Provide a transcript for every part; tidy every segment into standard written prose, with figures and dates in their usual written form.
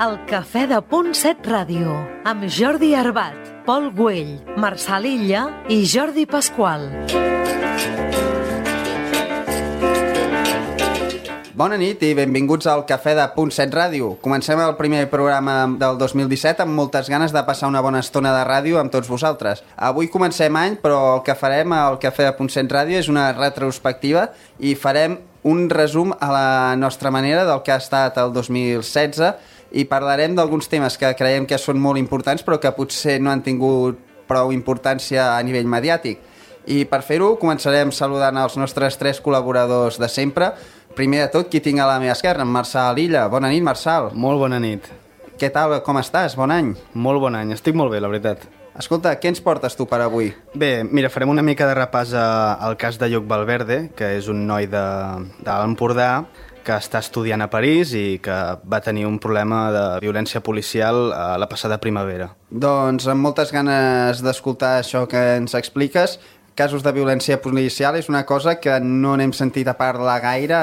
El Cafè de Punt 7 Ràdio, amb Jordi Arbat, Pol Güell, Marçal Illa i Jordi Pasqual. Bona nit i benvinguts al Cafè de Punt 7 Ràdio. Comencem el primer programa del 2017 amb moltes ganes de passar una bona estona de ràdio amb tots vosaltres. Avui comencem any, però el que farem al Cafè de Punt 7 Ràdio és una retrospectiva i farem un resum a la nostra manera del que ha estat el 2016 i parlarem d'alguns temes que creiem que són molt importants però que potser no han tingut prou importància a nivell mediàtic. I per fer-ho començarem saludant els nostres tres col·laboradors de sempre. Primer de tot, qui tinc a la meva esquerra? En Marçal Illa. Bona nit, Marçal. Molt bona nit. Què tal? Com estàs? Bon any. Molt bon any. Estic molt bé, la veritat. Escolta, què ens portes tu per avui? Bé, mira, farem una mica de repàs al cas de Lluc Valverde, que és un noi de l'Empordà que està estudiant a París i que va tenir un problema de violència policial a la passada primavera. Doncs amb moltes ganes d'escoltar això que ens expliques. Casos de violència policial és una cosa que no n'hem sentit a parlar gaire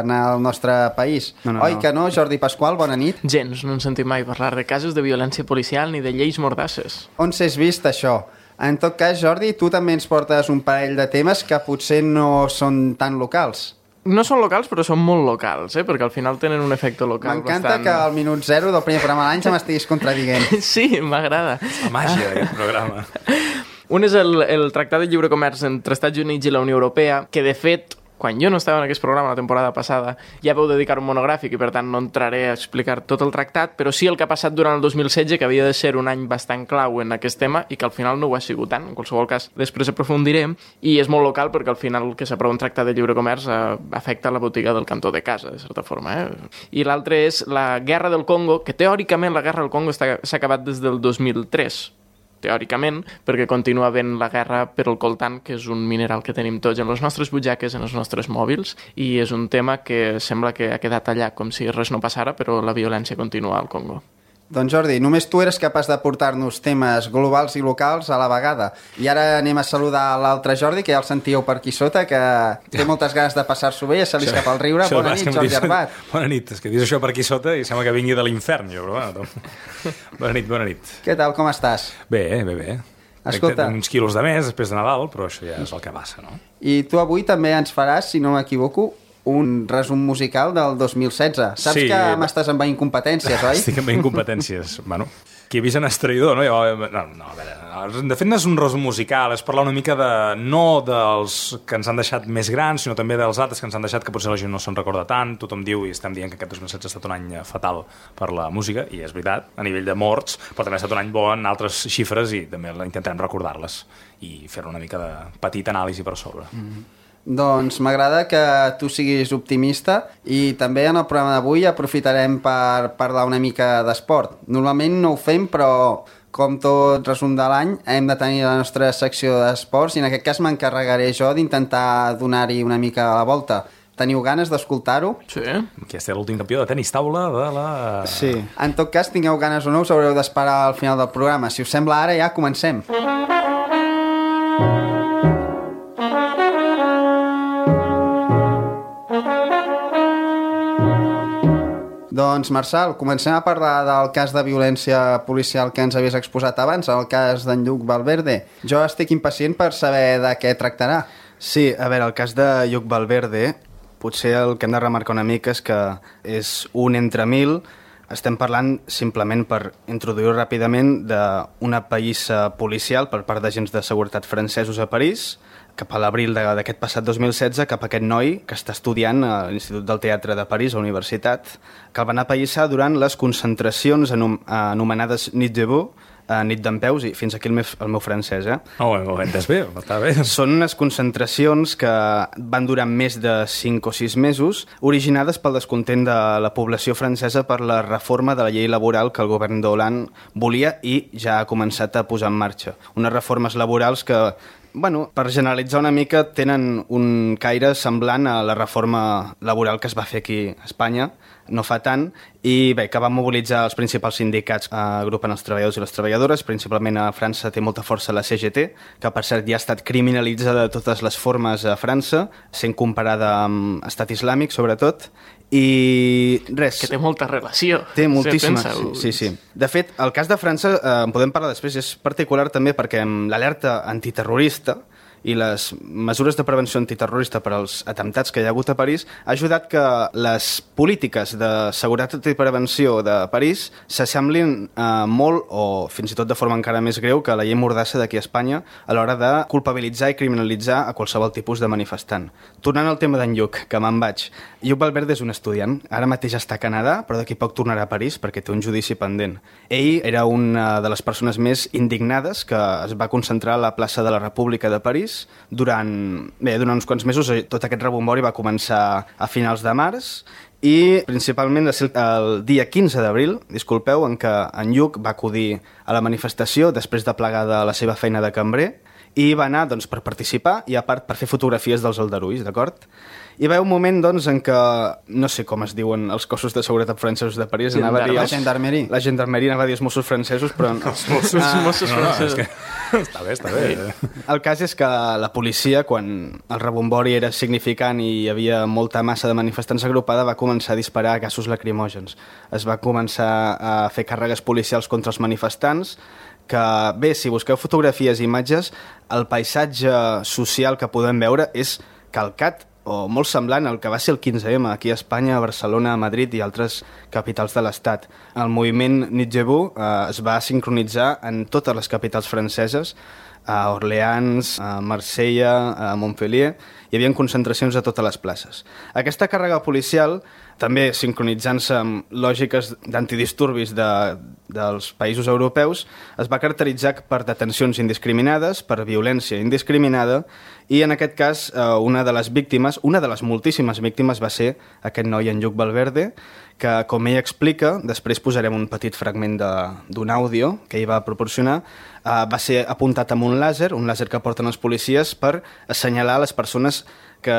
en el nostre país. Oi que no, Jordi Pasqual? Bona nit. Gens, no hem sentit mai parlar de casos de violència policial ni de lleis mordasses. On s'has vist això? En tot cas, Jordi, tu també ens portes un parell de temes que potser no són tan locals. No són locals, però són molt locals, perquè al final tenen un efecte local. M'encanta que al minut 0 del primer programa de l'any ja m'estiguis contradient. Sí, m'agrada. La màgia d'aquest programa. Un és el Tractat de Lliure Comerç entre Estats Units i la Unió Europea, que de fet, quan jo no estava en aquest programa la temporada passada, ja vau dedicar un monogràfic i per tant no entraré a explicar tot el tractat, però sí el que ha passat durant el 2016, que havia de ser un any bastant clau en aquest tema i que al final no ho ha sigut tant. En qualsevol cas, després aprofundirem, i és molt local perquè al final que s'aprova un tractat de lliure comerç afecta la botiga del cantó de casa, de certa forma. I l'altre és la Guerra del Congo, que teòricament la Guerra del Congo s'ha acabat des del 2003, teòricament, perquè continua havent la guerra per el coltan, que és un mineral que tenim tots en les nostres butxaques, en els nostres mòbils, i és un tema que sembla que ha quedat allà com si res no passara, però la violència continua al Congo. Doncs Jordi, només tu eres capaç de portar-nos temes globals i locals a la vegada. I ara anem a saludar l'altre Jordi, que ja el sentíeu per aquí sota, que té moltes ganes de passar-s'ho bé, ja se li escapa el riure. Bona nit, Jordi Arbat. Bona nit, és que dius això per aquí sota i sembla que vingui de l'infern, jo, però bueno. Bona nit. Què tal, com estàs? Bé. Escolta. Uns quilos de més després de Nadal, però això ja és el que passa, no? I tu avui també ens faràs, si no m'equivoco, un resum musical del 2016. Saps que m'estàs envaint competències, oi? Estic envaint competències. Bueno, qui ha vist en Estraïdor, no? No, a veure, de fet no és un resum musical, és parlar una mica no dels que ens han deixat més grans, sinó també dels altres que ens han deixat que potser la gent no se'n recorda tant. Tothom diu i estem dient que aquest 2016 ha estat un any fatal per la música, i és veritat, a nivell de morts, però també ha estat un any bo en altres xifres i també intentarem recordar-les i fer una mica de petit anàlisi per sobre. Doncs m'agrada que tu siguis optimista i també en el programa d'avui aprofitarem per parlar una mica d'esport. Normalment no ho fem, però com tot resum de l'any hem de tenir la nostra secció d'esports i en aquest cas m'encarregaré jo d'intentar donar-hi una mica la volta. Teniu ganes d'escoltar-ho? Sí. Aquest és l'últim campió de tenis taula de la... Sí. En tot cas, tingueu ganes o no, us haureu d'esperar al final del programa. Si us sembla, ara ja comencem. Doncs, Marçal, comencem a parlar del cas de violència policial que ens havies exposat abans, el cas d'en Lluc Valverde. Jo estic impacient per saber de què tractarà. Sí, a veure, el cas de Lluc Valverde, potser el que hem de remarcar una mica és que és un entre mil. Estem parlant, simplement per introduir-ho ràpidament, d'una pallissa policial per part d'agents de seguretat francesos a París, cap a l'abril d'aquest passat 2016, cap a aquest noi que està estudiant a l'Institut del Teatre de París, a la Universitat, que el van apallissar durant les concentracions anomenades Nit debout, nit dempeus, i fins aquí el meu francès, Ho entes bé, està bé. Són unes concentracions que van durar més de 5 o 6 mesos, originades pel descontent de la població francesa per la reforma de la llei laboral que el govern d'Hollande volia i ja ha començat a posar en marxa. Unes reformes laborals que Bueno, per generalitzar una mica, tenen un caire semblant a la reforma laboral que es va fer aquí a Espanya, no fa tant, i bé, que va mobilitzar els principals sindicats que agrupen els treballadors i les treballadores. Principalment a França té molta força la CGT, que per cert ja ha estat criminalitzada de totes les formes a França, sent comparada amb Estat Islàmic, sobretot, i res. Que té molta relació. Té moltíssima, sí. De fet, el cas de França, en podem parlar després, és particular també perquè amb l'alerta antiterrorista i les mesures de prevenció antiterrorista per als atemptats que hi ha hagut a París ha ajudat que les polítiques de seguretat i prevenció de París s'assemblin molt, o fins i tot de forma encara més greu, que la llei Mordassa d'aquí a Espanya a l'hora de culpabilitzar i criminalitzar a qualsevol tipus de manifestant. Tornant al tema d'en Lluc, que me'n vaig. Lluc Valverde és un estudiant, ara mateix està a Canadà, però d'aquí poc tornarà a París perquè té un judici pendent. Ell era una de les persones més indignades que es va concentrar a la plaça de la República de París durant uns quants mesos. Tot aquest rebombori va començar a finals de març i principalment el dia 15 d'abril, en què en Lluc va acudir a la manifestació després de plegar de la seva feina de cambrer i va anar per participar i a part per fer fotografies dels aldarulls, d'acord? Hi va haver un moment en què, no sé com es diuen els cossos de seguretat francesos de París, anava a dir... La gendarmerie. La gendarmerie, anava a dir els Mossos francesos, però... Els Mossos francesos. Està bé. El cas és que la policia, quan el rebombori era significant i hi havia molta massa de manifestants agrupada, va començar a disparar gasos lacrimògens. Es va començar a fer càrregues policials contra els manifestants, que, bé, si busqueu fotografies i imatges, el paisatge social que podem veure és calcat o molt semblant al que va ser el 15M aquí a Espanya, a Barcelona, a Madrid i altres capitals de l'Estat. El moviment Nuit Debout es va sincronitzar en totes les capitals franceses, a Orleans, a Marsella, a Montpellier. Hi havia concentracions a totes les places. Aquesta càrrega policial, també sincronitzant-se amb lògiques d'antidisturbis dels països europeus, es va caracteritzar per detencions indiscriminades, per violència indiscriminada, i en aquest cas una de les víctimes, una de les moltíssimes víctimes, va ser aquest noi, en Lluc Valverde, que, com ell explica, després posarem un petit fragment d'un àudio que ell va proporcionar, va ser apuntat amb un làser que porten els policies per assenyalar les persones que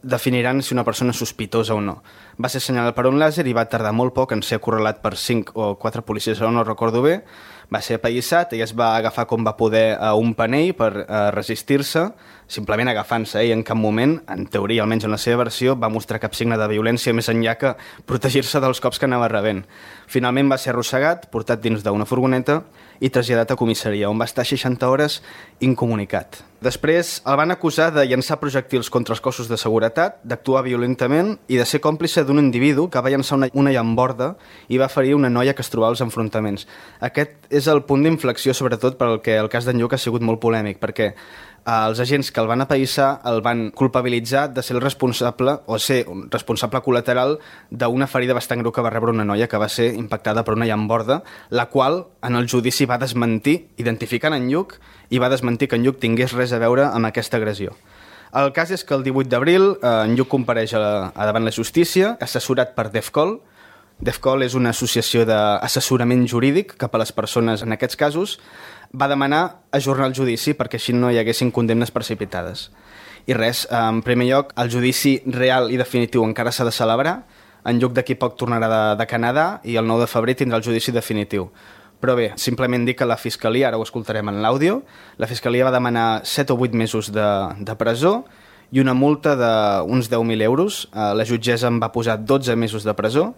definiran si una persona és sospitosa o no. Va ser assenyalat per un làser i va tardar molt poc en ser acorralat per 5 o 4 policies, no recordo bé. Va ser apallissat, ell es va agafar com va poder a un panell per resistir-se, simplement agafant-se. Ell en cap moment, en teoria, almenys en la seva versió, va mostrar cap signe de violència més enllà que protegir-se dels cops que anava rebent. Finalment va ser arrossegat, portat dins d'una furgoneta i traslladat a comissaria, on va estar 60 hores incomunicat. Després el van acusar de llançar projectils contra els cossos de seguretat, d'actuar violentament i de ser còmplice d'un individu que va llançar una llamborda i va ferir una noia que es trobava als enfrontaments. Aquest és el punt d'inflexió, sobretot perquè el cas d'en Lluc ha sigut molt polèmic, perquè els agents que el van apallissar el van culpabilitzar de ser el responsable o ser un responsable col·lateral d'una ferida bastant greu que va rebre una noia que va ser impactada per una llamborda, la qual en el judici va desmentir, identificant en Lluc, i va desmentir que en Lluc tingués res a veure amb aquesta agressió. El cas és que el 18 d'abril en Lluc compareix davant la justícia, assessorat per DEFCOL. DEFCOL és una associació d'assessorament jurídic cap a les persones en aquests casos. Va demanar ajornar el judici perquè així no hi haguessin condemnes precipitades. I res, en primer lloc, el judici real i definitiu encara s'ha de celebrar. En Lluc d'aquí poc tornarà de Canadà i el 9 de febrer tindrà el judici definitiu. Però bé, simplement dir que la Fiscalia, ara ho escoltarem en l'àudio, la Fiscalia va demanar 7 o 8 mesos de presó i una multa d'uns 10.000 euros. La jutgessa en va posar 12 mesos de presó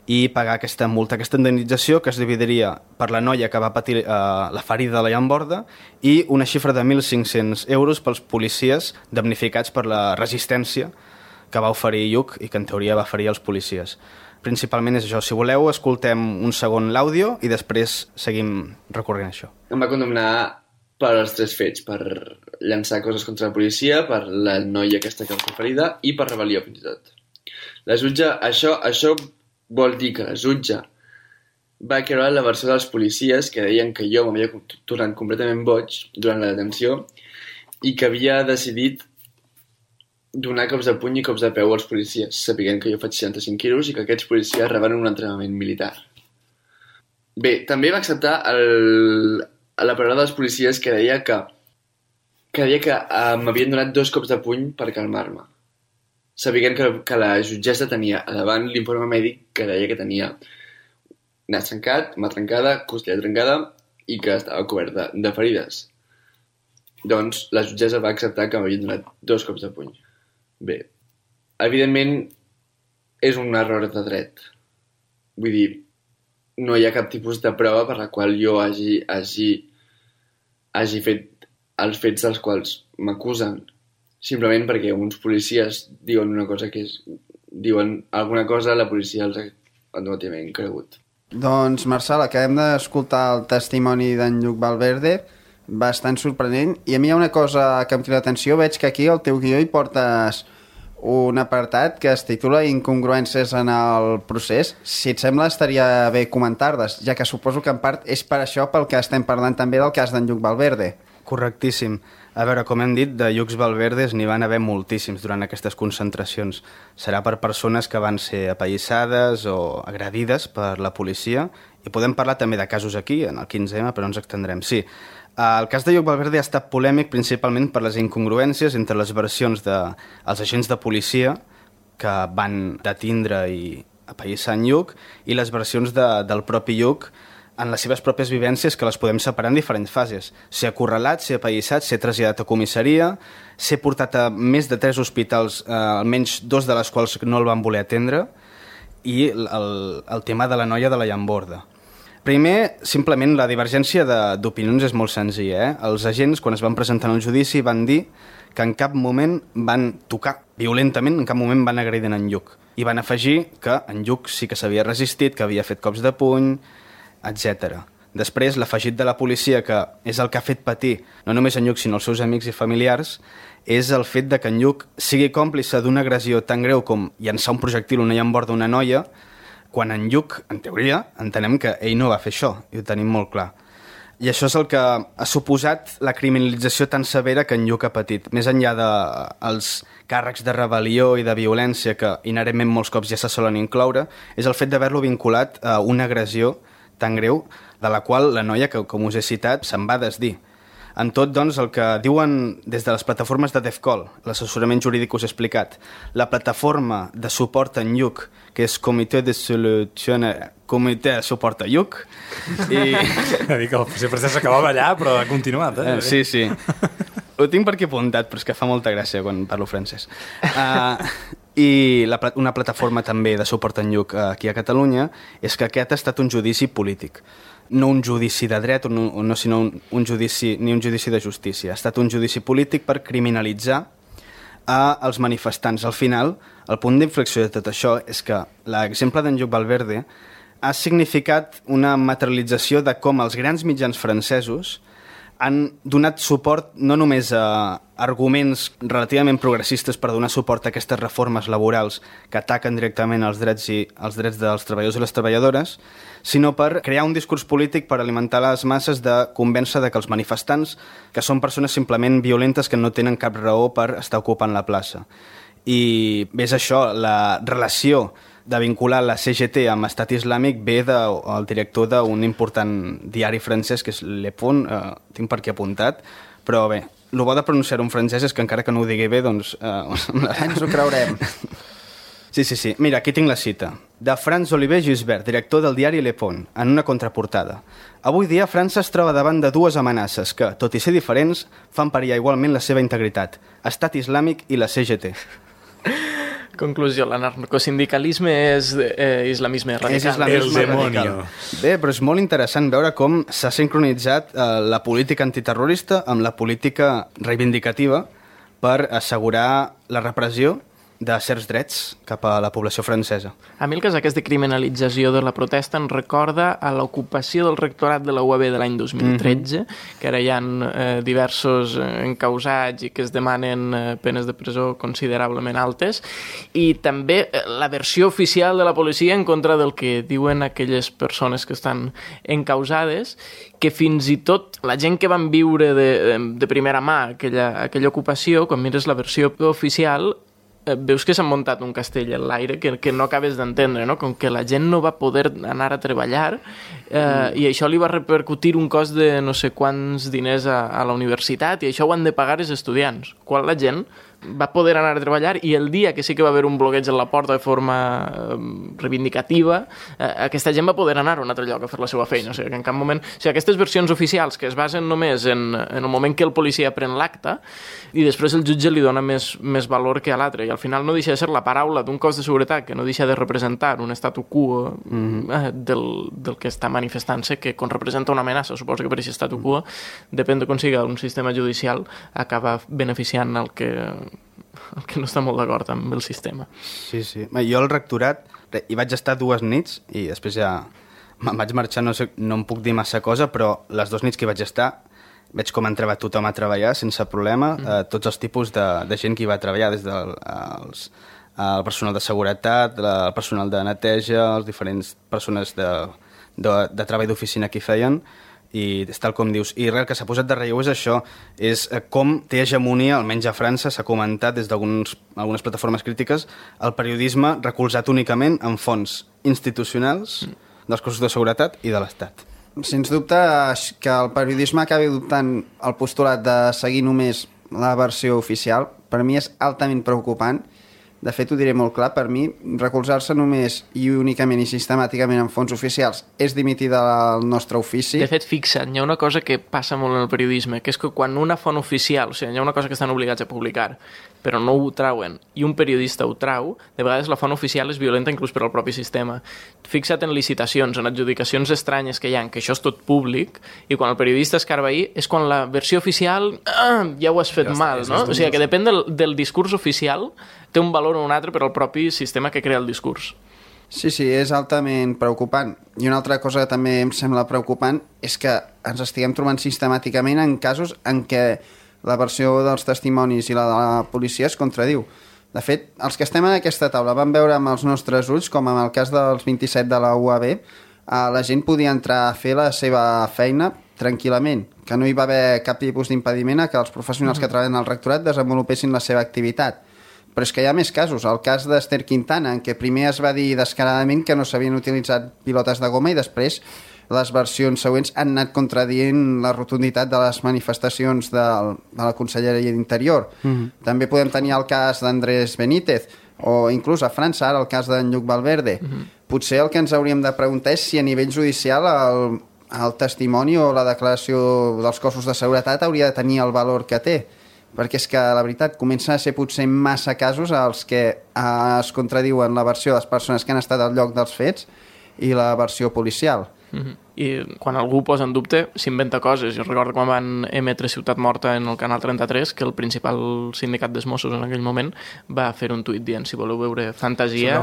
i pagar aquesta multa, aquesta indemnització que es dividiria per la noia que va patir la ferida de la llamborda i una xifra de 1.500 euros pels policies damnificats per la resistència que va oferir Lluc i que en teoria va ferir els policies. Principalment és això. Si voleu, escoltem un segon l'àudio i després seguim recorrent això. Em va condemnar per els 3 fets, per llançar coses contra la policia, per la noia aquesta que va fer ferida i per rebel·lió, fins i tot. La jutge, això vol dir que la jutge va creure la versió dels policies que deien que jo m'havia tornat completament boig durant la detenció i que havia decidit donar cops de puny i cops de peu als policies, sapiguent que jo faig 65 quilos i que aquests policies reben un entrenament militar. Bé, també va acceptar la paraula dels policies que deia que que deia que m'havien donat 2 cops de puny per calmar-me. Sabien que la jutgessa tenia a davant l'informe mèdic que deia que tenia nas trencat, mà trencada, costella trencada i que estava cobert de ferides. Doncs la jutgessa va acceptar que m'havien donat 2 cops de puny. Bé, evidentment és un error de dret. Vull dir, no hi ha cap tipus de prova per la qual jo hagi fet els fets dels quals m'acusen. Simplement perquè uns policies diuen una cosa diuen alguna cosa, la policia els ha automaticament cregut. Doncs, Marçal, acabem d'escoltar el testimoni d'en Lluc Valverde, bastant sorprenent, i a mi hi ha una cosa que em crida l'atenció. Veig que aquí al teu guió hi portes un apartat que es titula Incongruències en el procés. Si et sembla, estaria bé comentar-les, ja que suposo que en part és per això pel que estem parlant també del cas d'en Lluc Valverde. Correctíssim. A veure, com hem dit, de Llucs Valverdes n'hi van haver moltíssims durant aquestes concentracions. Serà per persones que van ser apallissades o agredides per la policia, i podem parlar també de casos aquí, en el 15M, però no ens extendrem. Sí, el cas de Lluc Valverde ha estat polèmic principalment per les incongruències entre les versions dels agents de policia que van detindre i apallissar en Lluc i les versions del propi Lluc en les seves pròpies vivències, que les podem separar en diferents fases. Ser acorralat, ser apallissat, ser traslladat a comissaria, ser portat a més de 3 hospitals, almenys 2 de les quals no el van voler atendre, i el tema de la noia de la llamborda. Primer, simplement, la divergència d'opinions és molt senzilla. Els agents, quan es van presentar en el judici, van dir que en cap moment van tocar violentament, en cap moment van agredir en Lluc. I van afegir que en Lluc sí que s'havia resistit, que havia fet cops de puny, etc. Després, l'afegit de la policia, que és el que ha fet patir no només en Lluc, sinó els seus amics i familiars, és el fet de que en Lluc sigui còmplice d'una agressió tan greu com llançar un projectil a una llamborda d'una noia, quan en Lluc, en teoria, entenem que ell no va fer això, i ho tenim molt clar. I això és el que ha suposat la criminalització tan severa que en Lluc ha patit. Més enllà dels càrrecs de rebel·lió i de violència que inherentment molts cops ja se solen incloure, és el fet d'haver-lo vinculat a una agressió tan greu, de la qual la noia, que com us he citat, se'n va desdir. En tot, doncs, el que diuen des de les plataformes de DEFCOL, l'assessorament jurídic us he explicat, la plataforma de suport en Lluc, que és Comitè de Suport a Lluc, i... Dic que sempre s'acabava allà, però ha continuat, eh? Sí, sí. Ho tinc per aquí apuntat, però és que fa molta gràcia quan parlo francès. I una plataforma també de suport en Lluc aquí a Catalunya és que aquest ha estat un judici polític. No un judici de dret, no, sinó un judici de justícia. Ha estat un judici polític per criminalitzar els manifestants. Al final, el punt d'inflexió de tot això és que l'exemple d'en Lluc Valverde ha significat una materialització de com els grans mitjans francesos han donat suport no només a arguments relativament progressistes per donar suport a aquestes reformes laborals que ataquen directament els drets dels treballadors i les treballadores, sinó per crear un discurs polític per alimentar les masses de convèncer de que els manifestants, que són persones simplement violentes que no tenen cap raó per estar ocupant la plaça. I bé, és això, la relació de vincular la CGT amb Estat Islàmic ve del director d'un important diari francès, que és Le Pont, tinc per aquí apuntat, però bé, el bo de pronunciar un francès és que encara que no ho digui bé, doncs... Ens ho creurem. Sí. Mira, aquí tinc la cita. De Franz-Olivier Gisbert, director del diari Le Pont, en una contraportada. Avui dia França es troba davant de 2 amenaces que, tot i ser diferents, fan perillar igualment la seva integritat. Estat Islàmic i la CGT. Conclusió, l'anarcosindicalisme és islamisme radical. És islamisme radical. Bé, però és molt interessant veure com s'ha sincronitzat la política antiterrorista amb la política reivindicativa per assegurar la repressió de certs drets cap a la població francesa. A mi el cas aquest de criminalització de la protesta em recorda a l'ocupació del rectorat de la UAB de l'any 2013, que ara hi ha diversos encausats i que es demanen penes de presó considerablement altes, i també la versió oficial de la policia en contra del que diuen aquelles persones que estan encausades, que fins i tot la gent que van viure de primera mà aquella ocupació, quan mires la versió oficial, veus que s'ha muntat un castell en l'aire que no acabes d'entendre, no? Com que la gent no va poder anar a treballar i això li va repercutir un cost de no sé quants diners a la universitat i això ho han de pagar els estudiants. Quan la gent va poder anar a treballar i el dia que sí que va haver un bloqueig a la porta de forma reivindicativa, aquesta gent va poder anar a un altre lloc a fer la seva feina. O sigui, que en cap moment... O sigui, aquestes versions oficials que es basen només en el moment que el policia pren l'acte i després el jutge li dona més valor que a l'altre. I al final no deixa de ser la paraula d'un cos de seguretat que no deixa de representar un statu quo del que està manifestant-se, que quan representa una amenaça, suposo que per aquest statu quo, depèn de com siga un sistema judicial, acaba beneficiant el que no està molt d'acord amb el sistema. Sí. Jo al rectorat hi vaig estar 2 nits i després ja me'n vaig marxar, no em puc dir massa cosa, però les 2 nits que hi vaig estar veig com entrava tothom a treballar sense problema, tots els tipus de gent que hi va treballar, des del el personal de seguretat, el personal de neteja, les diferents persones de treball d'oficina que hi feien, i és tal com dius. I res, el que s'ha posat de relleu és això, és com té hegemonia, almenys a França, s'ha comentat des d'algunes plataformes crítiques, el periodisme recolzat únicament en fonts institucionals dels cossos de seguretat i de l'Estat. Sens dubte que el periodisme acabi adoptant el postulat de seguir només la versió oficial, per mi és altament preocupant. De fet, ho diré molt clar, per mi, recolzar-se només i únicament i sistemàticament en fonts oficials és dimitir del nostre ofici. De fet, fixa't, hi ha una cosa que passa molt en el periodisme, que és que quan una font oficial, o sigui, hi ha una cosa que estan obligats a publicar, però no ho trauen, i un periodista ho trau, de vegades la font oficial és violenta inclús per al propi sistema. Fixa't en licitacions, en adjudicacions estranyes que hi ha, que això és tot públic, i quan el periodista escarba ahir, és quan la versió oficial ja ho has fet mal, no? O sigui, que depèn del discurs oficial, té un valor o un altre per al propi sistema que crea el discurs. Sí, és altament preocupant. I una altra cosa que també em sembla preocupant és que ens estiguem trobant sistemàticament en casos en què la versió dels testimonis i la de la policia es contradiu. De fet, els que estem en aquesta taula vam veure amb els nostres ulls, com en el cas dels 27 de la UAB, la gent podia entrar a fer la seva feina tranquil·lament, que no hi va haver cap tipus d'impediment a que els professionals que treballen al rectorat desenvolupessin la seva activitat. Però és que hi ha més casos. El cas d'Ester Quintana, en què primer es va dir descaradament que no s'havien utilitzat pilotes de goma i després les versions següents han anat contradient la rotunditat de les manifestacions de la Conselleria d'Interior. També podem tenir el cas d'Andrés Benítez o inclús a França, ara el cas d'en Lluc Valverde. Potser el que ens hauríem de preguntar és si a nivell judicial el testimoni o la declaració dels cossos de seguretat hauria de tenir el valor que té. Perquè és que, la veritat, comença a ser potser massa casos els que es contradiuen la versió de les persones que han estat al lloc dels fets i la versió policial. I quan algú posa en dubte, s'inventa coses. Jo recordo quan van emetre Ciutat Morta en el Canal 33, que el principal sindicat dels Mossos en aquell moment va fer un tuit dient si voleu veure fantasia,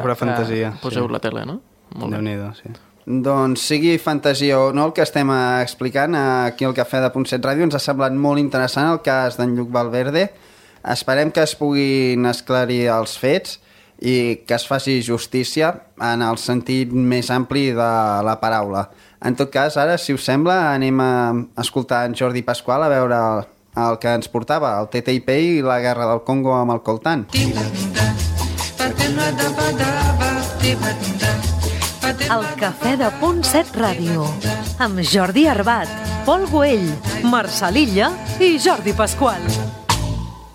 poseu la tele, no? Déu-n'hi-do, sí. Doncs sigui fantasia o no, el que estem explicant aquí al Cafè de Punt 7 Ràdio ens ha semblat molt interessant el cas d'en Lluc Valverde. Esperem que es puguin esclarir els fets i que es faci justícia en el sentit més ampli de la paraula. En tot cas, ara, si us sembla, anem a escoltar en Jordi Pasqual a veure el que ens portava, el TTIP i la guerra del Congo amb el coltan. El Cafè de Punt 7 Ràdio, amb Jordi Arbat, Pol Güell, Marçal Illa i Jordi Pasqual.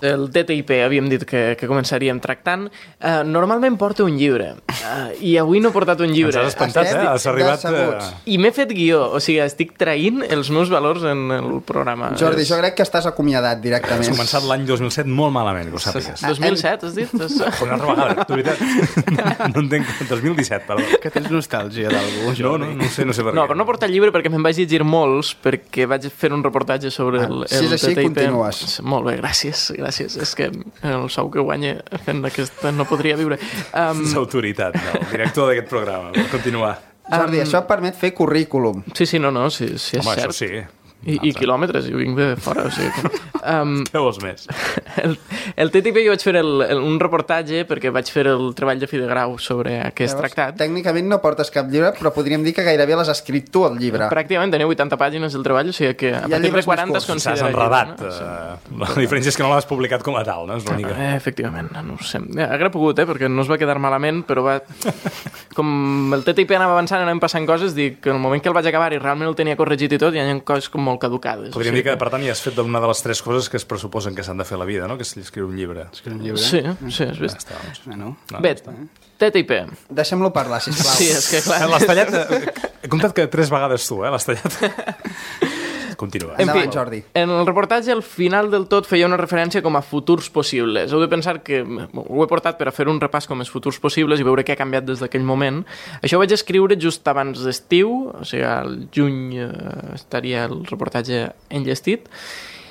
El TTIP havíem dit que començaríem tractant. Normalment porta un llibre i avui no he portat un llibre. Ens has espantat, has arribat... I m'he fet guió, o sigui, estic traint els meus valors en el programa. Jordi, jo crec que estàs acomiadat directament. Has començat l'any 2007 molt malament, que ho sàpigues. 2007, has dit? Una altra vegada, tu veritat. No entenc, 2017, perdó. Que tens nostàlgia d'algú? No sé per què. No, però no he portat llibre perquè me'n vaig llegir molts, perquè vaig fer un reportatge sobre el TTIP. Si és així, continues. Molt bé, gràcies. És que el sou que guanya fent aquesta no podria viure. L'autoritat, el director d'aquest programa. Per continuar. Jordi, això et permet fer currículum. Sí, és cert. Això sí. I quilòmetres, jo vinc de fora, o sigui que... Què vols més? El TTIP jo vaig fer un reportatge perquè vaig fer el treball de fi de grau sobre aquest tractat. Tècnicament no portes cap llibre, però podríem dir que gairebé l'has escrit tu, el llibre. Pràcticament tenia 80 pàgines del treball, o sigui que a partir de 40 es considera... S'has enredat. No? La diferència és que no l'has publicat com a tal, no? És l'única. Efectivament, no ho sé. Hauria pogut, perquè no es va quedar malament, però com el TTIP anava avançant, anàvem passant coses, dic que en el moment que el vaig acabar i realment el tenia corregit i tot, hi ha coses com molt caducades. Podríem dir que, per tant, ja has fet una de les 3 coses que es pressuposen que s'han de fer a la vida, no? Que és escriure un llibre. Sí, has vist? Ja està, doncs. Bé, TTIP. Deixem-lo parlar, sisplau. Sí, és que clar... L'has tallat... He comptat que 3 vegades tu, l'has tallat. Continua. Endavant, Jordi. En el reportatge, al final del tot, feia una referència com a futurs possibles. Heu de pensar que ho he portat per a fer un repàs com els futurs possibles i veure què ha canviat des d'aquell moment. Això ho vaig escriure just abans d'estiu, o sigui, al juny estaria el reportatge enllestit.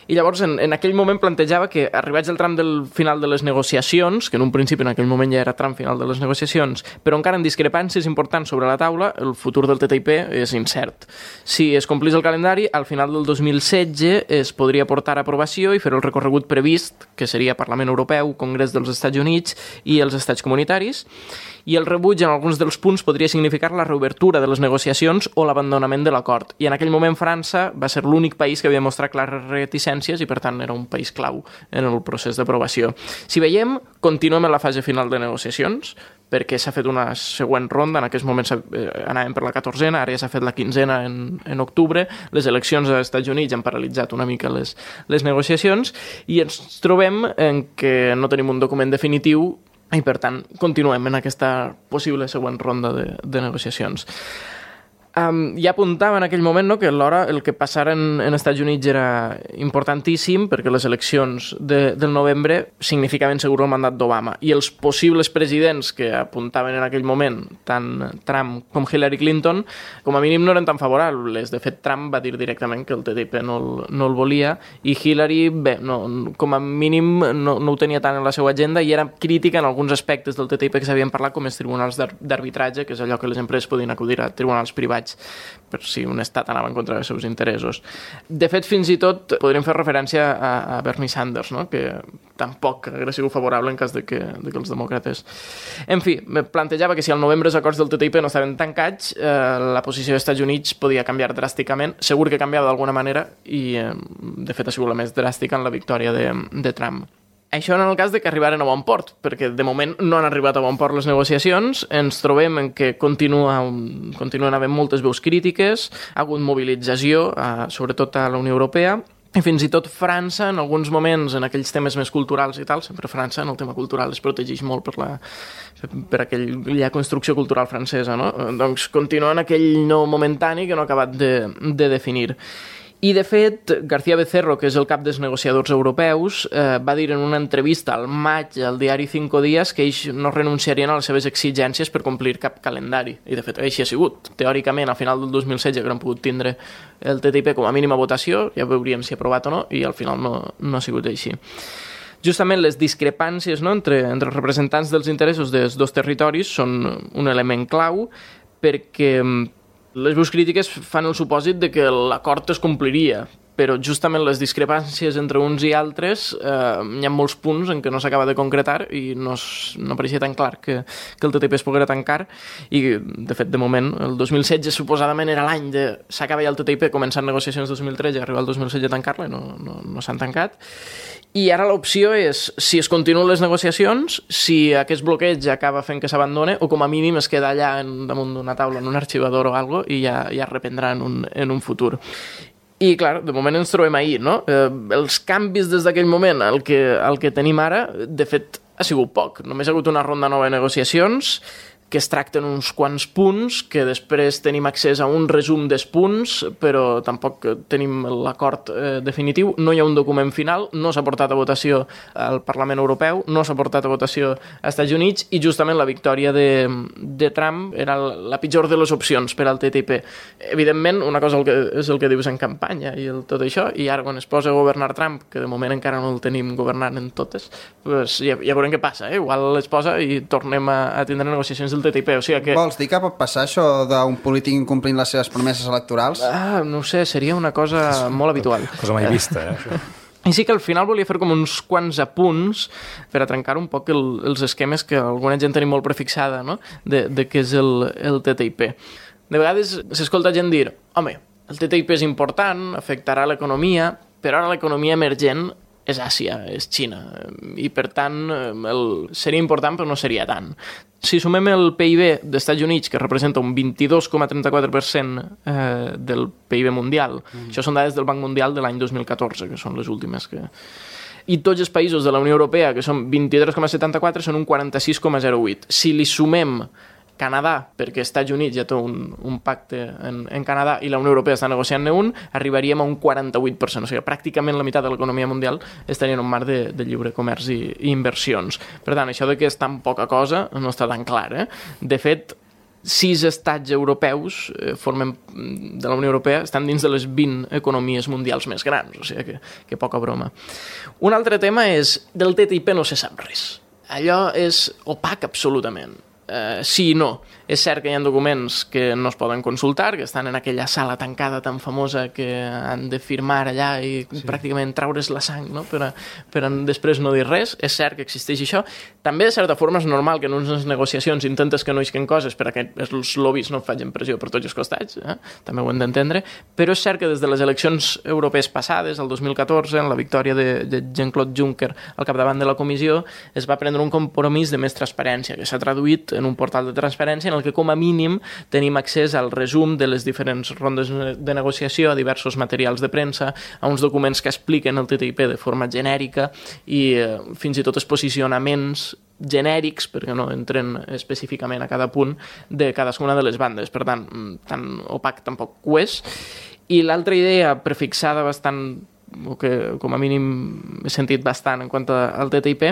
I llavors, en aquell moment plantejava que, arribats al tram del final de les negociacions, que en un principi en aquell moment ja era tram final de les negociacions, però encara en discrepàncies importants sobre la taula, el futur del TTIP és incert. Si es complís el calendari, al final del 2016 es podria portar a aprovació i fer el recorregut previst, que seria Parlament Europeu, Congrés dels Estats Units i els Estats Comunitaris, i el rebuig en alguns dels punts podria significar la reobertura de les negociacions o l'abandonament de l'acord. I en aquell moment França va ser l'únic país que havia mostrat clares reticències i per tant era un país clau en el procés d'aprovació. Si veiem, continuem en la fase final de negociacions, perquè s'ha fet una següent ronda, en aquests moments anàvem per la 14a, ara ja s'ha fet la 15a en octubre, les eleccions als Estats Units han paralitzat una mica les negociacions i ens trobem en que no tenim un document definitiu i, per tant, continuem en aquesta possible següent ronda de negociacions. Ja apuntava en aquell moment, no, que alhora el que passara en Estats Units era importantíssim perquè les eleccions del novembre significaven segur el mandat d'Obama i els possibles presidents que apuntaven en aquell moment, tant Trump com Hillary Clinton, com a mínim no eren tan favorables. De fet, Trump va dir directament que el TTIP no el volia i Hillary, bé, com a mínim no ho tenia tant en la seva agenda i era crítica en alguns aspectes del TTIP que s'havien parlat, com els tribunals d'arbitratge, que és allò que les empreses podien acudir a tribunals privats per si un estat anava en contra dels seus interessos. De fet, fins i tot podríem fer referència a Bernie Sanders, no? Que tampoc hauria sigut favorable en cas de que els demòcrates... En fi, plantejava que si al novembre els acords del TTIP no estaven tancats, la posició dels Estats Units podia canviar dràsticament, segur que canviava d'alguna manera i, de fet, ha sigut la més dràstica en la victòria de Trump. Això en el cas de que arribaren a bon port, perquè de moment no han arribat a bon port les negociacions, ens trobem en que continuen havent moltes veus crítiques, ha hagut mobilització, sobretot a la Unió Europea, i fins i tot França, en alguns moments, en aquells temes més culturals i tal, sempre França en el tema cultural es protegeix molt per aquella construcció cultural francesa, no? Doncs continua en aquell no momentani que no ha acabat de definir. I, de fet, García Becerro, que és el cap dels negociadors europeus, va dir en una entrevista al maig al diari Cinco Días que ells no renunciarien a les seves exigències per complir cap calendari. I, de fet, així ha sigut. Teòricament, a final del 2016 haurem pogut tindre el TTIP com a mínima votació, ja veuríem si aprovat o no, i al final no ha sigut així. Justament les discrepàncies, no, entre els representants dels interessos dels dos territoris són un element clau perquè les veus crítiques fan el supòsit de que l'acord es compliria, però justament les discrepàncies entre uns i altres hi ha molts punts en què no s'acaba de concretar i no pareixia tan clar que el TTIP es poguera tancar i, de fet, de moment, el 2016 suposadament era l'any de s'acaba ja el TTIP, començant negociacions 2013 i arribar al 2016 a tancar-la i no s'han tancat. I ara l'opció és, si es continuen les negociacions, si aquest bloqueig acaba fent que s'abandone o com a mínim es queda allà damunt d'una taula en un arxivador o alguna cosa i ja reprendrà en un futur. I, clar, de moment ens trobem ahir, no? Els canvis des d'aquell moment al que tenim ara, de fet, ha sigut poc. Només ha hagut una ronda nova de negociacions que es tracten uns quants punts, que després tenim accés a un resum dels punts, però tampoc tenim l'acord definitiu. No hi ha un document final, no s'ha portat a votació al Parlament Europeu, no s'ha portat a votació als Estats Units, i justament la victòria de Trump era la pitjor de les opcions per al TTIP. Evidentment, una cosa és el que dius en campanya i tot això, i ara quan es posa a governar Trump, que de moment encara no el tenim governant en totes, pues ja veurem què passa. Igual es posa i tornem a tindre negociacions del el TTIP. O sigui que... Vols dir que pot passar això d'un polític incomplint les seves promeses electorals? No ho sé, seria una cosa molt habitual. Cosa mai vista, això. I sí que al final volia fer com uns quants apunts per a trencar un poc els esquemes que alguna gent tenim molt prefixada, no? de què és el TTIP. De vegades s'escolta gent dir, home, el TTIP és important, afectarà l'economia, però ara l'economia emergent és Àsia, és Xina, i per tant seria important però no seria tant. Si sumem el PIB dels Estats Units, que representa un 22,34% del PIB mundial, això són dades del Banc Mundial de l'any 2014, que són les últimes que... I tots els països de la Unió Europea, que són 23,74, són un 46,08. Si li sumem Canadà, perquè Estats Units ja té un pacte en Canadà i la Unió Europea està negociant-ne un, arribaríem a un 48%. O sigui, pràcticament la meitat de l'economia mundial estaria en un marc de lliure comerç i inversions. Per tant, això de que és tan poca cosa no està tan clar. De fet, 6 estats europeus de la Unió Europea estan dins de les 20 economies mundials més grans, o sigui que poca broma. Un altre tema és, del TTIP no se sap res. Allò és opac absolutament. Sí i no. És cert que hi ha documents que no es poden consultar, que estan en aquella sala tancada tan famosa que han de firmar allà i pràcticament traure's la sang, no? per després no dir res. És cert que existeix això. També, de certa forma, és normal que en unes negociacions intentes que no isquen coses perquè els lobbies no facin pressió per tots els costats, també ho hem d'entendre, però és cert que des de les eleccions europees passades, el 2014, en la victòria de Jean-Claude Juncker al capdavant de la comissió, es va prendre un compromís de més transparència, que s'ha traduït en un portal de transparència en el que com a mínim tenim accés al resum de les diferents rondes de negociació, a diversos materials de premsa, a uns documents que expliquen el TTIP de forma genèrica i fins i tot els posicionaments genèrics, perquè no entren específicament a cada punt de cadascuna de les bandes. Per tant, tan opac tampoc ho és. I l'altra idea prefixada bastant, o que com a mínim he sentit bastant en quant al TTIP,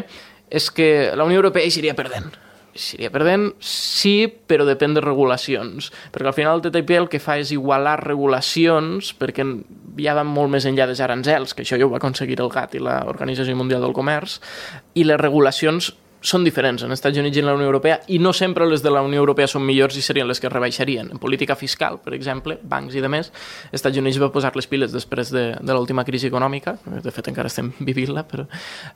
és que la Unió Europea hi seria perdent. Seria perdent, sí, però depèn de regulacions, perquè al final el TTIP el que fa és igualar regulacions, perquè ja van molt més enllà dels aranzels, que això ja ho va aconseguir el GATT i l'Organització Mundial del Comerç, i les regulacions són diferents en els Estats Units i en la Unió Europea, i no sempre les de la Unió Europea són millors i serien les que rebaixarien. En política fiscal, per exemple, bancs i demés, els Estats Units va posar les piles després de l'última crisi econòmica, de fet encara estem vivint-la, però...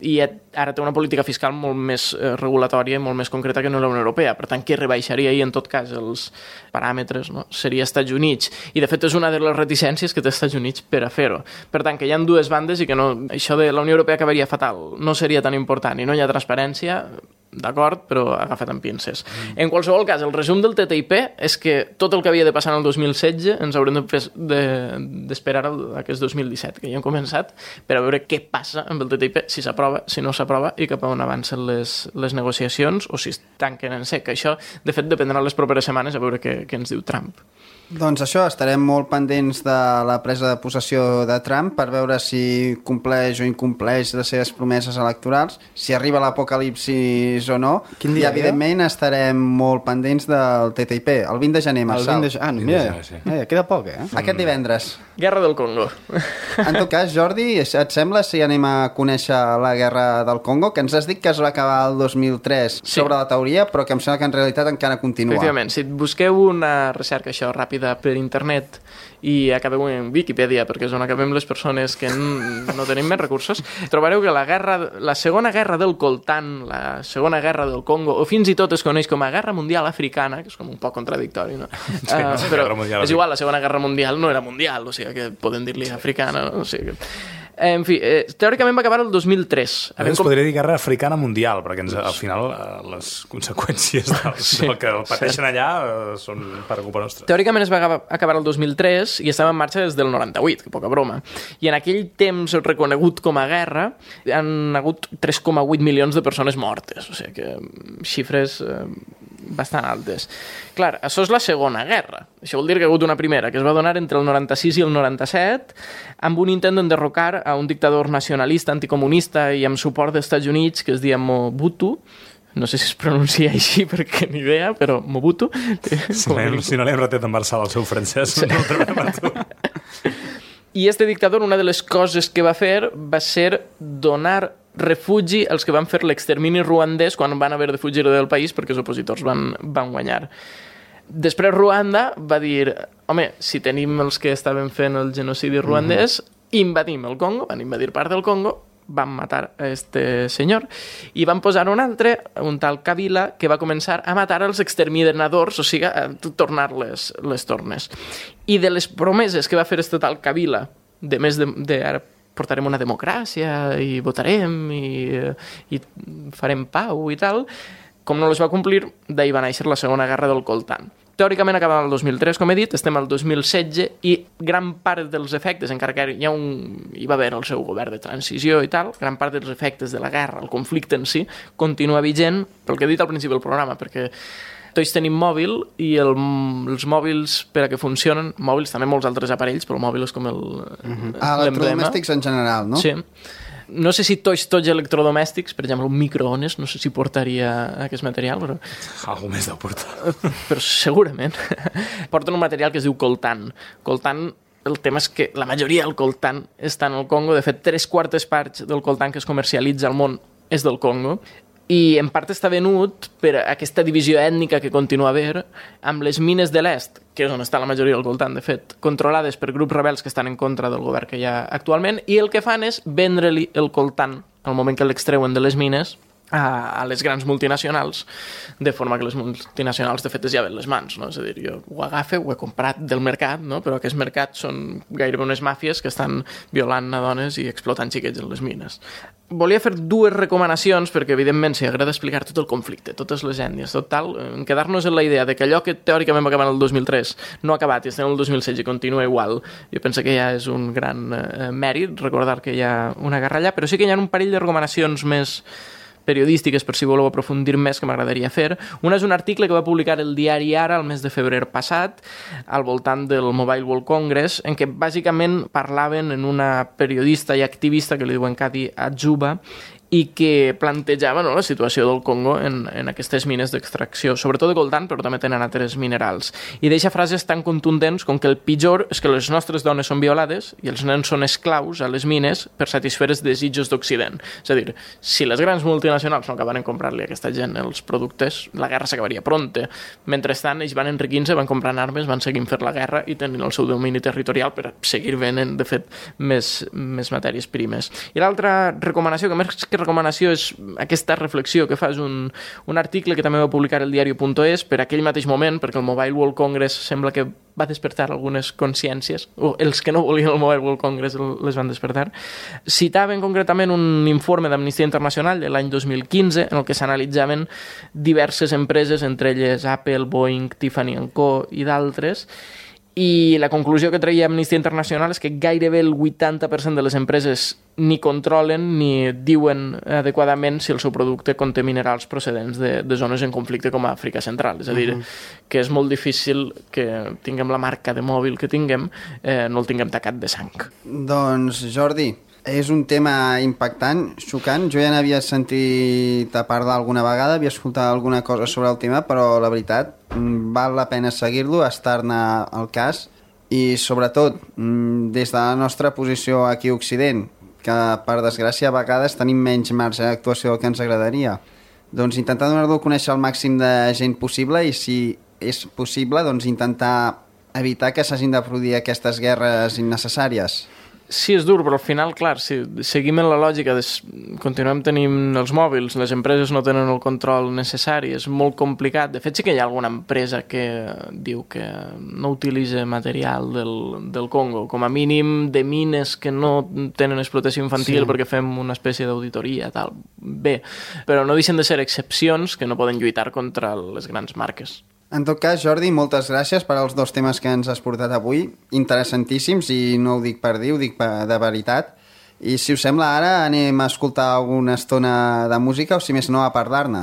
i ara té una política fiscal molt més regulatòria i molt més concreta que no la Unió Europea. Per tant, què rebaixaria i en tot cas els paràmetres, no? Seria Estats Units. I de fet és una de les reticències que té Estats Units per a fer-ho. Per tant, que hi ha dues bandes i que no, això de la Unió Europea acabaria fatal, no seria tan important i no hi ha transparència, d'acord, però agafat amb pinces. En qualsevol cas, el resum del TTIP és que tot el que havia de passar en el 2016 ens haurem d'esperar aquest 2017, que ja hem començat, per a veure què passa amb el TTIP, si s'aprova, si no s'aprova, i cap a on avancen les negociacions, o si es tanquen en sec. Això, de fet, dependrà les properes setmanes a veure què ens diu Trump. Doncs això, estarem molt pendents de la presa de possessió de Trump per veure si compleix o incompleix les seves promeses electorals, si arriba l'apocalipsis o no. Quin dia, i evidentment estarem molt pendents del TTIP, el 20 de gener, Marçal. Mira, queda poc, Aquest divendres. Guerra del Congo. En tot cas, Jordi, et sembla si anem a conèixer la guerra del Congo, que ens has dit que es va acabar el 2003 sobre la teoria, però que em sembla que en realitat encara continua. Efectivament, si busqueu una recerca això ràpida per internet i acabeu en Wikipedia, perquè és on acabem les persones que no tenim més recursos, trobareu que la segona guerra del coltan, la segona guerra del Congo, o fins i tot es coneix com a Guerra Mundial Africana, que és com un poc contradictori, no? Però és igual, la segona guerra mundial no era mundial, o sigui que poden dir-li africana, no? O sigui que... En fi, teòricament va acabar el 2003. Ens podria dir guerra africana mundial, perquè al final les conseqüències del que pateixen allà són per culpa nostra. Teòricament es va acabar el 2003 i estava en marxa des del 98, que poca broma. I en aquell temps reconegut com a guerra han hagut 3,8 milions de persones mortes, o sigui que xifres bastant altes. Clar, això és la segona guerra. Això vol dir que hi ha hagut una primera, que es va donar entre el 96 i el 97, amb un intent d'enderrocar a un dictador nacionalista, anticomunista i amb suport dels Estats Units, que es deia Mobutu. No sé si es pronuncia així perquè ni idea, però Mobutu. Si no l'hem retet en Marçal el seu francès, no el trobem a tu. I este dictador, una de les coses que va fer va ser donar refugi els que van fer l'extermini ruandès quan van haver de fugir del país perquè els opositors van guanyar. Després Ruanda va dir, home, si tenim els que estaven fent el genocidi ruandès, invadim el Congo, van invadir part del Congo, van matar a este senyor i van posar un altre, un tal Kabila, que va començar a matar els exterminadors, o sigui, a tornar les tornes. I de les promeses que va fer este tal Kabila, de més de ara portarem una democràcia i votarem i farem pau i tal, com no les va complir, d'ahir va néixer la Segona Guerra del Coltan. Teòricament acabava el 2003, com he dit, estem al 2016 i gran part dels efectes, encara que hi va haver el seu govern de transició i tal, gran part dels efectes de la guerra, el conflicte en si, continua vigent, pel que he dit al principi del programa, perquè tots tenim mòbil i els mòbils, per a que funcionen, mòbils, també molts altres aparells, però el mòbil és com l'emblema. Electrodomèstics en general, no? Sí. No sé si tots electrodomèstics, per exemple, un microones, no sé si portaria aquest material, però... Algú més deu portar. Però segurament. Porten un material que es diu coltan. Coltan, el tema és que la majoria del coltan està en el Congo. De fet, 3/4 parts del coltan que es comercialitza al món és del Congo. I en part està venut per aquesta divisió ètnica que continua a haver amb les mines de l'est, que és on està la majoria del coltan, de fet, controlades per grups rebels que estan en contra del govern que hi ha actualment, i el que fan és vendre-li el coltan al moment que l'extreuen de les mines a les grans multinacionals, de forma que les multinacionals de fet es lleven les mans, no? És a dir, jo ho agafe, ho he comprat del mercat, no? Però aquests mercats són gairebé unes màfies que estan violant a dones i explotant xiquets en les mines. Volia fer dues recomanacions perquè, evidentment, si agrada explicar tot el conflicte, totes les ètnies, tot tal, quedar-nos en la idea de que allò que teòricament va acabar el 2003 no ha acabat i estem en el 2016 i continua igual, jo penso que ja és un gran mèrit recordar que hi ha una guerra allà, però sí que hi ha un parell de recomanacions més periodístiques, per si voleu aprofundir més, que m'agradaria fer. Una és un article que va publicar el diari Ara el mes de febrer passat, al voltant del Mobile World Congress, en què bàsicament parlaven en una periodista i activista que li diuen Kadi Adzuba, i que plantejava, no, la situació del Congo en aquestes mines d'extracció, sobretot de coltan, però també tenen altres minerals. I deixa frases tan contundents com que el pitjor és que les nostres dones són violades i els nens són esclaus a les mines per satisfer els desitjos d'Occident. És a dir, si les grans multinacionals no acabaren comprar-li a aquesta gent els productes, la guerra s'acabaria pronte. Mentrestant, ells van enriquint-se, van comprant armes, van seguint fer la guerra i tenint el seu domini territorial per seguir venent, de fet, més matèries primes. I l'altra recomanació, que més que recomanació és aquesta reflexió que fa, és un article que també va publicar el diario.es per aquell mateix moment, perquè el Mobile World Congress sembla que va despertar algunes consciències, o els que no volien el Mobile World Congress les van despertar. Citaven concretament un informe d'Amnistia Internacional de l'any 2015 en el que s'analitzaven diverses empreses, entre elles Apple, Boeing, Tiffany & Co i d'altres, i la conclusió que treia Amnistia Internacional és que gairebé el 80% de les empreses ni controlen ni diuen adequadament si el seu producte conté minerals procedents de zones en conflicte com a Àfrica Central. És a dir, que és molt difícil que tinguem la marca de mòbil que tinguem, no el tinguem tacat de sang. Doncs, Jordi, és un tema impactant, xocant. Jo ja n'havia sentit a parlar alguna vegada, havia escoltat alguna cosa sobre el tema, però la veritat, val la pena seguir-lo, estar-ne al cas, i sobretot, des de la nostra posició aquí a Occident, que per desgràcia a vegades tenim menys marge d'actuació del que ens agradaria, doncs intentar donar-lo a conèixer al màxim de gent possible, i si és possible, doncs intentar evitar que s'hagin de produir aquestes guerres innecessàries. Sí, és dur, però al final, clar, si seguim en la lògica de continuem tenint els mòbils, les empreses no tenen el control necessari, és molt complicat. De fet, sí que hi ha alguna empresa que diu que no utilitza material del Congo, com a mínim de mines que no tenen explotació infantil, sí, perquè fem una espècie d'auditoria, tal. Bé, però no deixen de ser excepcions que no poden lluitar contra les grans marques. En tot cas, Jordi, moltes gràcies per als dos temes que ens has portat avui, interessantíssims, i no ho dic per dir, ho dic de veritat. I si us sembla, ara anem a escoltar alguna estona de música, o si més no, a parlar-ne.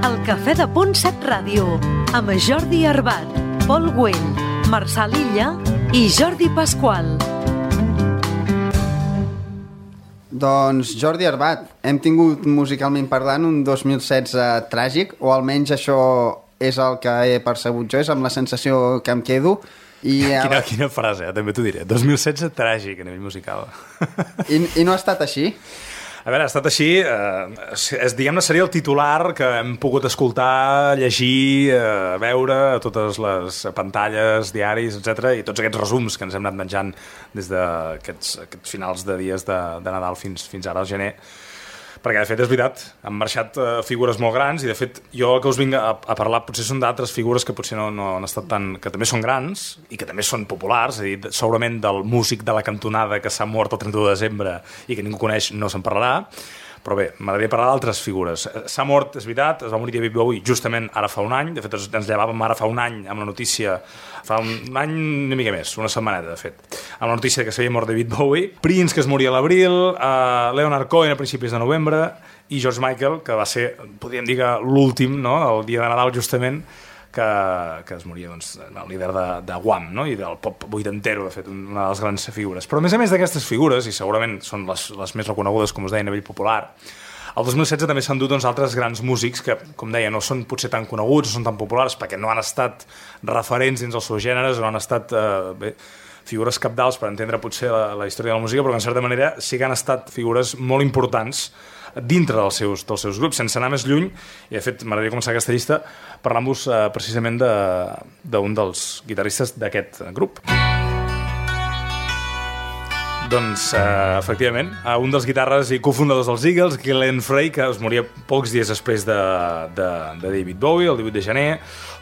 El Cafè de Punt 7 Ràdio, amb Jordi Arbat, Pol Güell, Marçal Illa i Jordi Pasqual. Doncs, Jordi Arbat, hem tingut musicalment parlant un 2016 tràgic, o almenys això és el que he percebut jo, és amb la sensació que em quedo. Quina frase, també t'ho diré. 2016 tràgic a nivell musical. I no ha estat així? A veure, ha estat així, diguem-ne, seria el titular que hem pogut escoltar, llegir, veure a totes les pantalles, diaris, etc i tots aquests resums que ens hem anat menjant des d'aquests finals de dies de Nadal fins ara al gener. Perquè, de fet, és veritat, han marxat figures molt grans i, de fet, jo el que us vinc a parlar potser són d'altres figures que potser no han estat tan... que també són grans i que també són populars, és a dir, segurament del músic de la cantonada que s'ha mort el 31 de desembre i que ningú coneix no se'n parlarà, però bé, m'agradaria parlar d'altres figures. S'ha mort, és veritat, es va morir David Bowie justament ara fa un any, de fet ens llevàvem ara fa un any amb la notícia, fa un any una mica més, una setmaneta de fet, amb la notícia que s'havia mort David Bowie, Prince que es moria a l'abril, Leonard Cohen a principis de novembre i George Michael, que va ser, podríem dir que l'últim, no?, el dia de Nadal justament, que es moria, doncs, el líder de Wham, no?, i del pop vuitantero, de fet, una de les grans figures. Però a més d'aquestes figures, i segurament són les més reconegudes, com us deia, a nivell popular, el 2016 també s'han dut, doncs, altres grans músics que, com deia, no són potser tan coneguts, no són tan populars, perquè no han estat referents dins els seus gèneres, o no han estat figures cabdals per entendre potser la història de la música, però que en certa manera sí que han estat figures molt importants dintre dels seus grups, sense anar més lluny, i de fet m'agradaria començar aquesta llista parlant-vos precisament d'un dels guitarristes d'aquest grup. Doncs, efectivament, un dels guitarres i cofundadors dels Eagles, Glenn Frey, que es moria pocs dies després de David Bowie, el 18 de gener,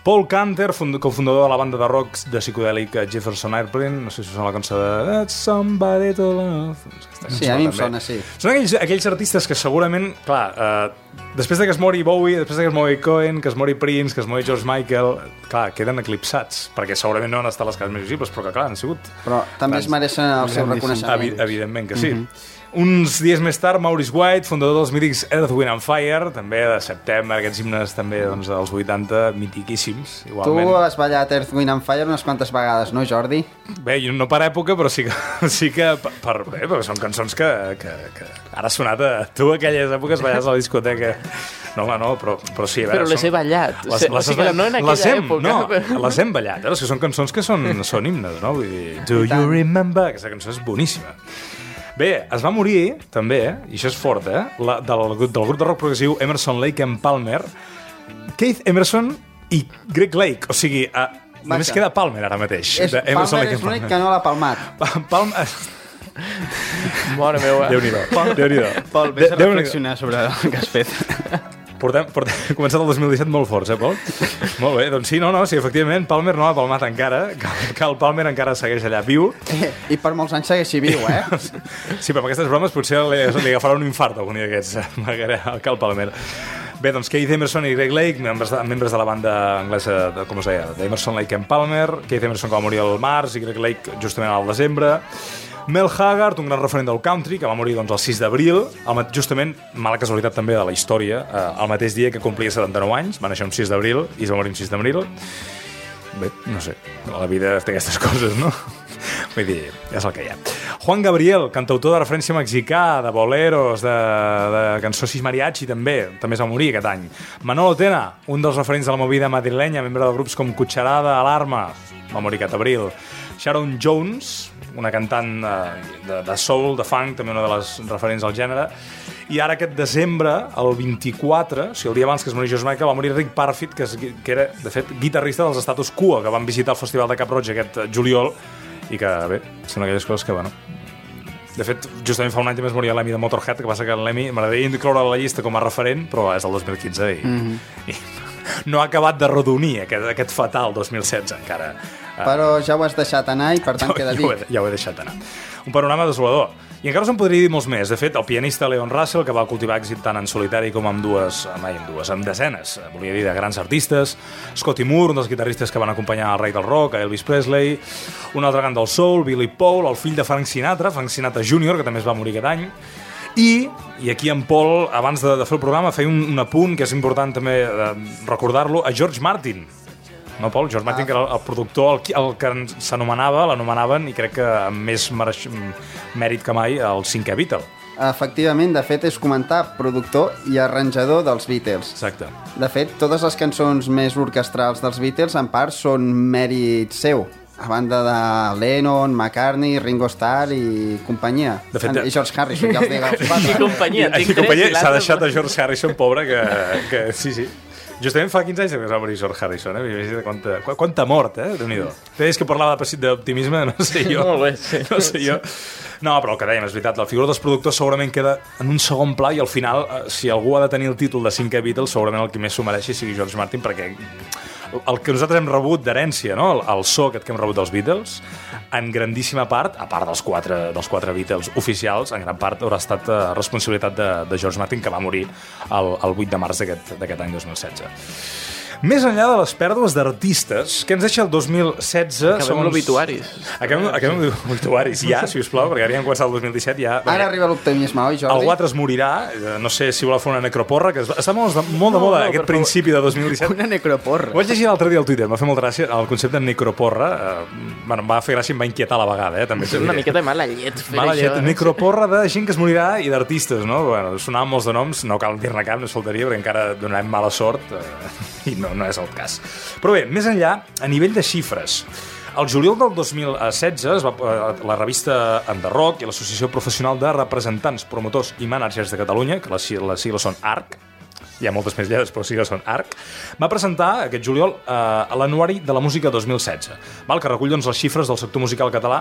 Paul Canter, cofundador de la banda de rock de psicodèlic Jefferson Airplane, no sé si us sona la cançó de That's Somebody to Love. Sí, a mi em sona, sí. Són aquells artistes que segurament, clar, després de que es mori Bowie, després de que es mori Cohen, que es mori Prince, que es mori George Michael, clar, queden eclipsats, perquè segurament no han estat les cases més visibles, però que clar, han sigut... Però també es mereixen el seu reconeixement. Evidentment que sí. Uns dies més tard, Maurice White, fundador dels mítics Earth, Wind and Fire, també de September, aquests himnes també doncs, dels 80, mitiquíssims, igualment. Tu has ballat Earth, Wind and Fire unes quantes vegades, no, Jordi? Bé, no per època, però sí que perquè són cançons que ara ha sonat a tu aquelles èpoques ballaves a la discoteca. No, home, no, però sí. Però les he ballat. No en aquella època. No, les hem ballat, és que són cançons que són himnes, no? Vull dir, Do You Remember? Aquesta cançó és boníssima. Bé, es va morir, també, i això és fort, del grup de rock progressiu Emerson, Lake and Palmer, Keith Emerson i Greg Lake, o sigui, només queda Palmer ara mateix. Palmer és l'únic que no l'ha palmat. Palmer... Mare meva. Déu-n'hi-do. Pol, vés a reflexionar sobre el que has fet. Portem començat el 2017 molt forts, Pol? Molt bé, doncs sí, sí, efectivament, Palmer no l'ha palmat encara, que el Palmer encara segueix allà viu. I per molts anys segueixi viu, Sí, però amb aquestes bromes potser li agafarà un infart algun dia d'aquests, que el Palmer. Bé, doncs Keith Emerson i Greg Lake, membres de la banda anglesa, com us deia, d'Emerson, Lake and Palmer. Keith Emerson que va morir al març i Greg Lake justament al desembre. Mel Haggard, un gran referent del country, que va morir doncs, el 6 d'abril, justament, mala casualitat també de la història, el mateix dia que complia 79 anys, va néixer un 6 d'abril i es va morir un 6 d'abril. Bé, no sé, la vida té aquestes coses, no? Vull dir, és el que hi ha. Juan Gabriel, cantautor de referència mexicà, de boleros, de cançó sis mariachi, també es va morir aquest any. Manolo Tena, un dels referents de la movida madrilenya, membre de grups com Cucharada, Alarma, va morir aquest abril. Sharon Jones, una cantant de soul, de funk, també una de les referents al gènere. I ara aquest desembre, el 24, o sigui, el dia abans que es moria George Michael, va morir Rick Parfitt, que era, de fet, guitarrista dels Status Quo, que van visitar el Festival de Cap Roig aquest juliol, i que, bé, són aquelles coses que, bueno... De fet, justament fa un any també es moria l'Emmy de Motorhead, que passa que l'Emmy m'agradaria incloure a la llista com a referent, però és el 2015 i no ha acabat de rodonir aquest fatal 2016 encara. Però ja ho has deixat anar i per tant queda dit. Ja ho he deixat anar. Un panorama desolador. I encara se'n podria dir molts més. De fet, el pianista Leon Russell, que va cultivar èxit tant en solitari com amb desenes, volia dir, de grans artistes. Scotty Moore, un dels guitarristes que van acompanyar el rei del rock, a Elvis Presley. Un altre gran del soul, Billy Paul, el fill de Frank Sinatra Jr., que també es va morir aquest any. I aquí en Pol, abans de fer el programa, feia un apunt que és important també recordar-lo, a George Martin. No, Pol? George Martin, que era el productor, el que l'anomenaven, i crec que amb més mèrit que mai, el cinquè Beatle. Efectivament, de fet, és comentar productor i arranjador dels Beatles. Exacte. De fet, totes les cançons més orquestrals dels Beatles, en part, són mèrit seu. a banda de Lennon, McCartney, Ringo Starr i companyia. De fet, I George Harrison, ja els dic els I quatre. companyia, I tinc tres companyia i s'ha l'altre... deixat a George Harrison, pobre, que sí. Justament fa 15 anys que es va morir George Harrison, quanta mort, Déu-n'hi-do. Deies que parlava d'optimisme, no sé jo. Molt bé, sí. No sé jo. No, però el que dèiem, és veritat, la figura dels productors segurament queda en un segon pla i al final, si algú ha de tenir el títol de 5 Beatles, segurament el que més s'ho mereixi sigui George Martin, perquè el que nosaltres hem rebut d'herència, no? El so aquest que hem rebut dels Beatles, en grandíssima part, a part dels quatre Beatles oficials, en gran part haurà estat responsabilitat de George Martin, que va morir el 8 de març d'aquest any 2016. Més enllà de les pèrdues d'artistes, que ens deixa el 2016... Acabem l'obituaris. Acabem l'obituaris, ja, si us plau, perquè ara ja hem començat el 2017, ja... Ara arriba l'optimisme, oi, Jordi? Algú altre es morirà, no sé si voleu fer una necroporra, que està molt de moda aquest principi de 2017. Una necroporra. Ho vaig llegir l'altre dia al Twitter, m'ha fet molta gràcia el concepte de necroporra, em va fer gràcia i em va inquietar a la vegada, també. És una miqueta de mala llet fer mala llet, això. necroporra de gent que es morirà i d'artistes, no? Bueno, sonaven molts de noms, no cal dir-ne cap, no es faltaria, perquè encara donarem mala sort i no és el cas. Però bé, més enllà, a nivell de xifres, el juliol del 2016 la revista Enderrock i l'Associació Professional de Representants, Promotors i Mànagers de Catalunya, que les sigles són ARC, hi ha moltes més lletres, però sí que són ARC, va presentar aquest juliol a l'Anuari de la Música 2016, que recull doncs, les xifres del sector musical català,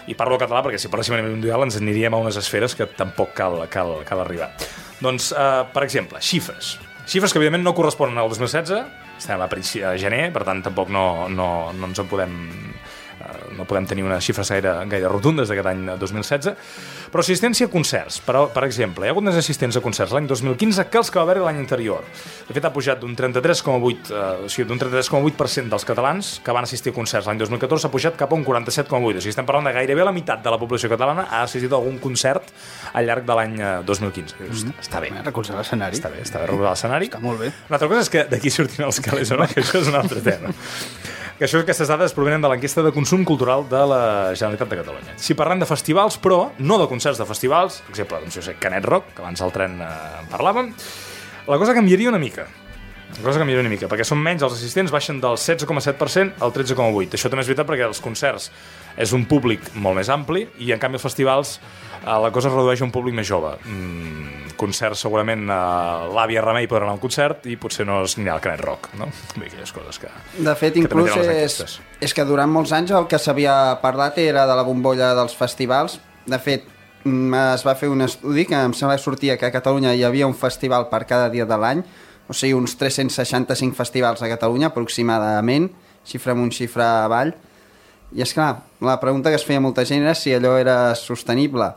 i parlo català perquè si parléssim a nivell mundial ens aniríem a unes esferes que tampoc cal arribar. Doncs, per exemple, xifres que evidentment no corresponen al 2016, estem a gener, per tant tampoc no ens en podem... no podem tenir unes xifres gaire rotundes d'aquest any 2016, però assistència a concerts, per exemple, hi ha hagut més assistents a concerts l'any 2015 que els que va haver l'any anterior. De fet, ha pujat d'un 33,8% dels catalans que van assistir a concerts l'any 2014, ha pujat cap a un 47,8%. O sigui, estem parlant de gairebé la meitat de la població catalana ha assistit a algun concert al llarg de l'any 2015. Està bé. Recolzar l'escenari. Està bé recolzar l'escenari. Està molt bé. Una altra cosa és que d'aquí sortin els calés o no, que això és un altre tema. Aquestes dades provenen de l'enquesta de consum cultural de la Generalitat de Catalunya. Si parlem de festivals, però no de concerts de festivals, per exemple, doncs, Canet Rock, que abans al tren en parlàvem, la cosa canviaria una mica. Perquè són menys, els assistents baixen del 16,7% al 13,8%. Això també és veritat perquè els concerts és un públic molt més ampli i en canvi els festivals la cosa es redueix a un públic més jove. Concerts segurament l'àvia Remei podrà anar a un concert i potser no es anirà al Canet Rock, no? Aquelles coses que... De fet, inclús és que durant molts anys el que s'havia parlat era de la bombolla dels festivals. De fet, es va fer un estudi que em sembla que sortia que a Catalunya hi havia un festival per cada dia de l'any, o sigui, uns 365 festivals a Catalunya, aproximadament, xifra amunt, xifra avall. I és clar, la pregunta que es feia molta gent era si allò era sostenible.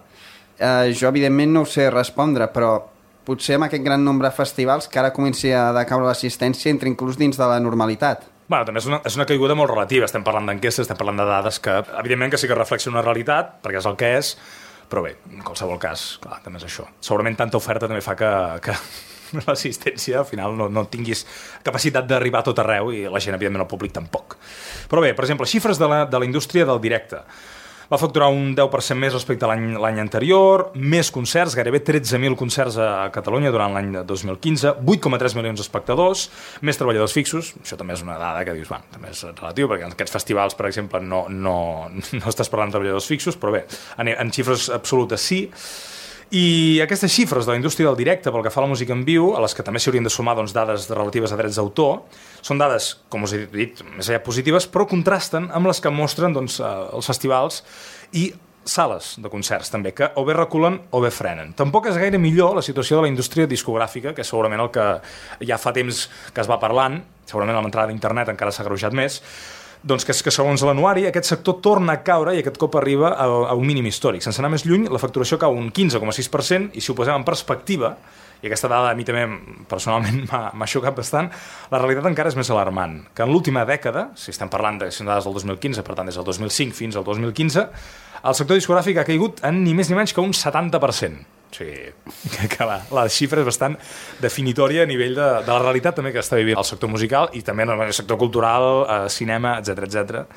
Jo, evidentment, no ho sé respondre, però potser amb aquest gran nombre de festivals que ara comenci a decaure l'assistència entra inclús dins de la normalitat. Bueno, també és una caiguda molt relativa. Estem parlant d'enquestes, estem parlant de dades que, evidentment, que sí que reflexen una realitat, perquè és el que és, però bé, en qualsevol cas, clar, també és això. Segurament tanta oferta també fa que l'assistència al final no tinguis capacitat d'arribar a tot arreu i la gent, evidentment, el públic tampoc. Però bé, per exemple, xifres de la indústria del directe. Va facturar un 10% més respecte a l'any anterior, més concerts, gairebé 13.000 concerts a Catalunya durant l'any 2015, 8,3 milions d'espectadors, més treballadors fixos, això també és una dada que dius, també és relatiu, perquè en aquests festivals, per exemple, no estàs parlant de treballadors fixos, però bé, en xifres absolutes sí. I aquestes xifres de la indústria del directe pel que fa a la música en viu, a les que també s'hi haurien de sumar dades relatives a drets d'autor, són dades, com us he dit, més allà positives, però contrasten amb les que mostren els festivals i sales de concerts també, que o bé reculen o bé frenen. Tampoc és gaire millor la situació de la indústria discogràfica, que és segurament el que ja fa temps que es va parlant, segurament amb l'entrada d'internet encara s'ha agreujat més, doncs que és que segons l'anuari aquest sector torna a caure i aquest cop arriba a un mínim històric. Sense anar més lluny, la facturació cau un 15,6% i si ho posem en perspectiva, i aquesta dada a mi també personalment m'ha xocat bastant, la realitat encara és més alarmant, que en l'última dècada, si estem parlant de dades del 2015, per tant des del 2005 fins al 2015, el sector discogràfic ha caigut en ni més ni menys que un 70%. O sigui, que la xifra és bastant definitòria a nivell de la realitat també que està vivint el sector musical i també el sector cultural, cinema, etc.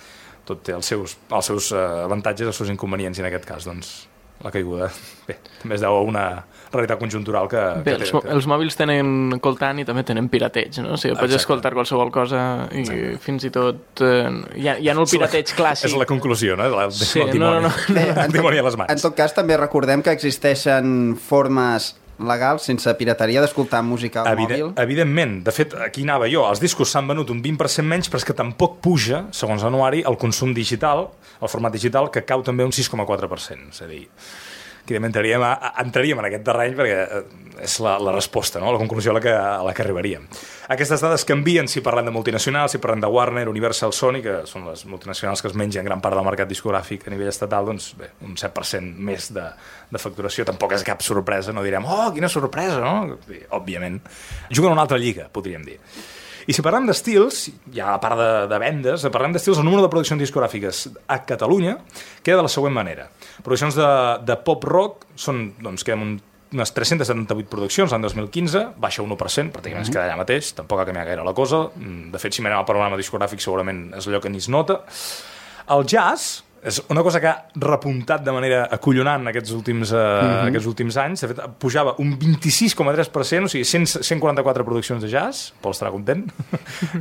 Tot té els seus avantatges, els seus inconvenients i en aquest cas, doncs, la caiguda. Bé, també es deu a una realitat conjuntural que... Bé, els mòbils tenen coltant i també tenen pirateig, no? O sigui, pots escoltar qualsevol cosa i fins i tot... ja no el pirateig clàssic. És la conclusió, no? Sí, el dimoni a les mans. En tot cas, també recordem que existeixen formes legals, sense pirateria, d'escoltar música al mòbil. Evidentment. De fet, aquí anava jo. Els discos s'han venut un 20% menys, però és que tampoc puja, segons l'anuari, el consum digital, el format digital, que cau també un 6,4%. És a dir, que entraríem en aquest terreny perquè és la resposta, no? La conclusió a la que arribaríem. Aquestes dades canvien si parlem de multinacionals, si parlem de Warner, Universal, Sony, que són les multinacionals que es mengen gran part del mercat discogràfic a nivell estatal, doncs bé, un 7% més de facturació. Tampoc és cap sorpresa, no direm, oh, quina sorpresa, no? Òbviament. Juguen a una altra lliga, podríem dir. I si parlem d'estils, ja a part de vendes, parlem d'estils, el número de produccions discogràfiques a Catalunya queda de la següent manera. Produccions de pop-rock són, doncs, queden unes 378 produccions l'any 2015, baixa 1%, pràcticament es queda allà mateix, tampoc ha canviat gaire la cosa. De fet, si mirem el panorama discogràfic segurament és allò que ni es nota. El jazz és una cosa que ha repuntat de manera acollonant aquests últims anys. De fet, pujava un 26,3%, o sigui, 144 produccions de jazz. Pol estarà content.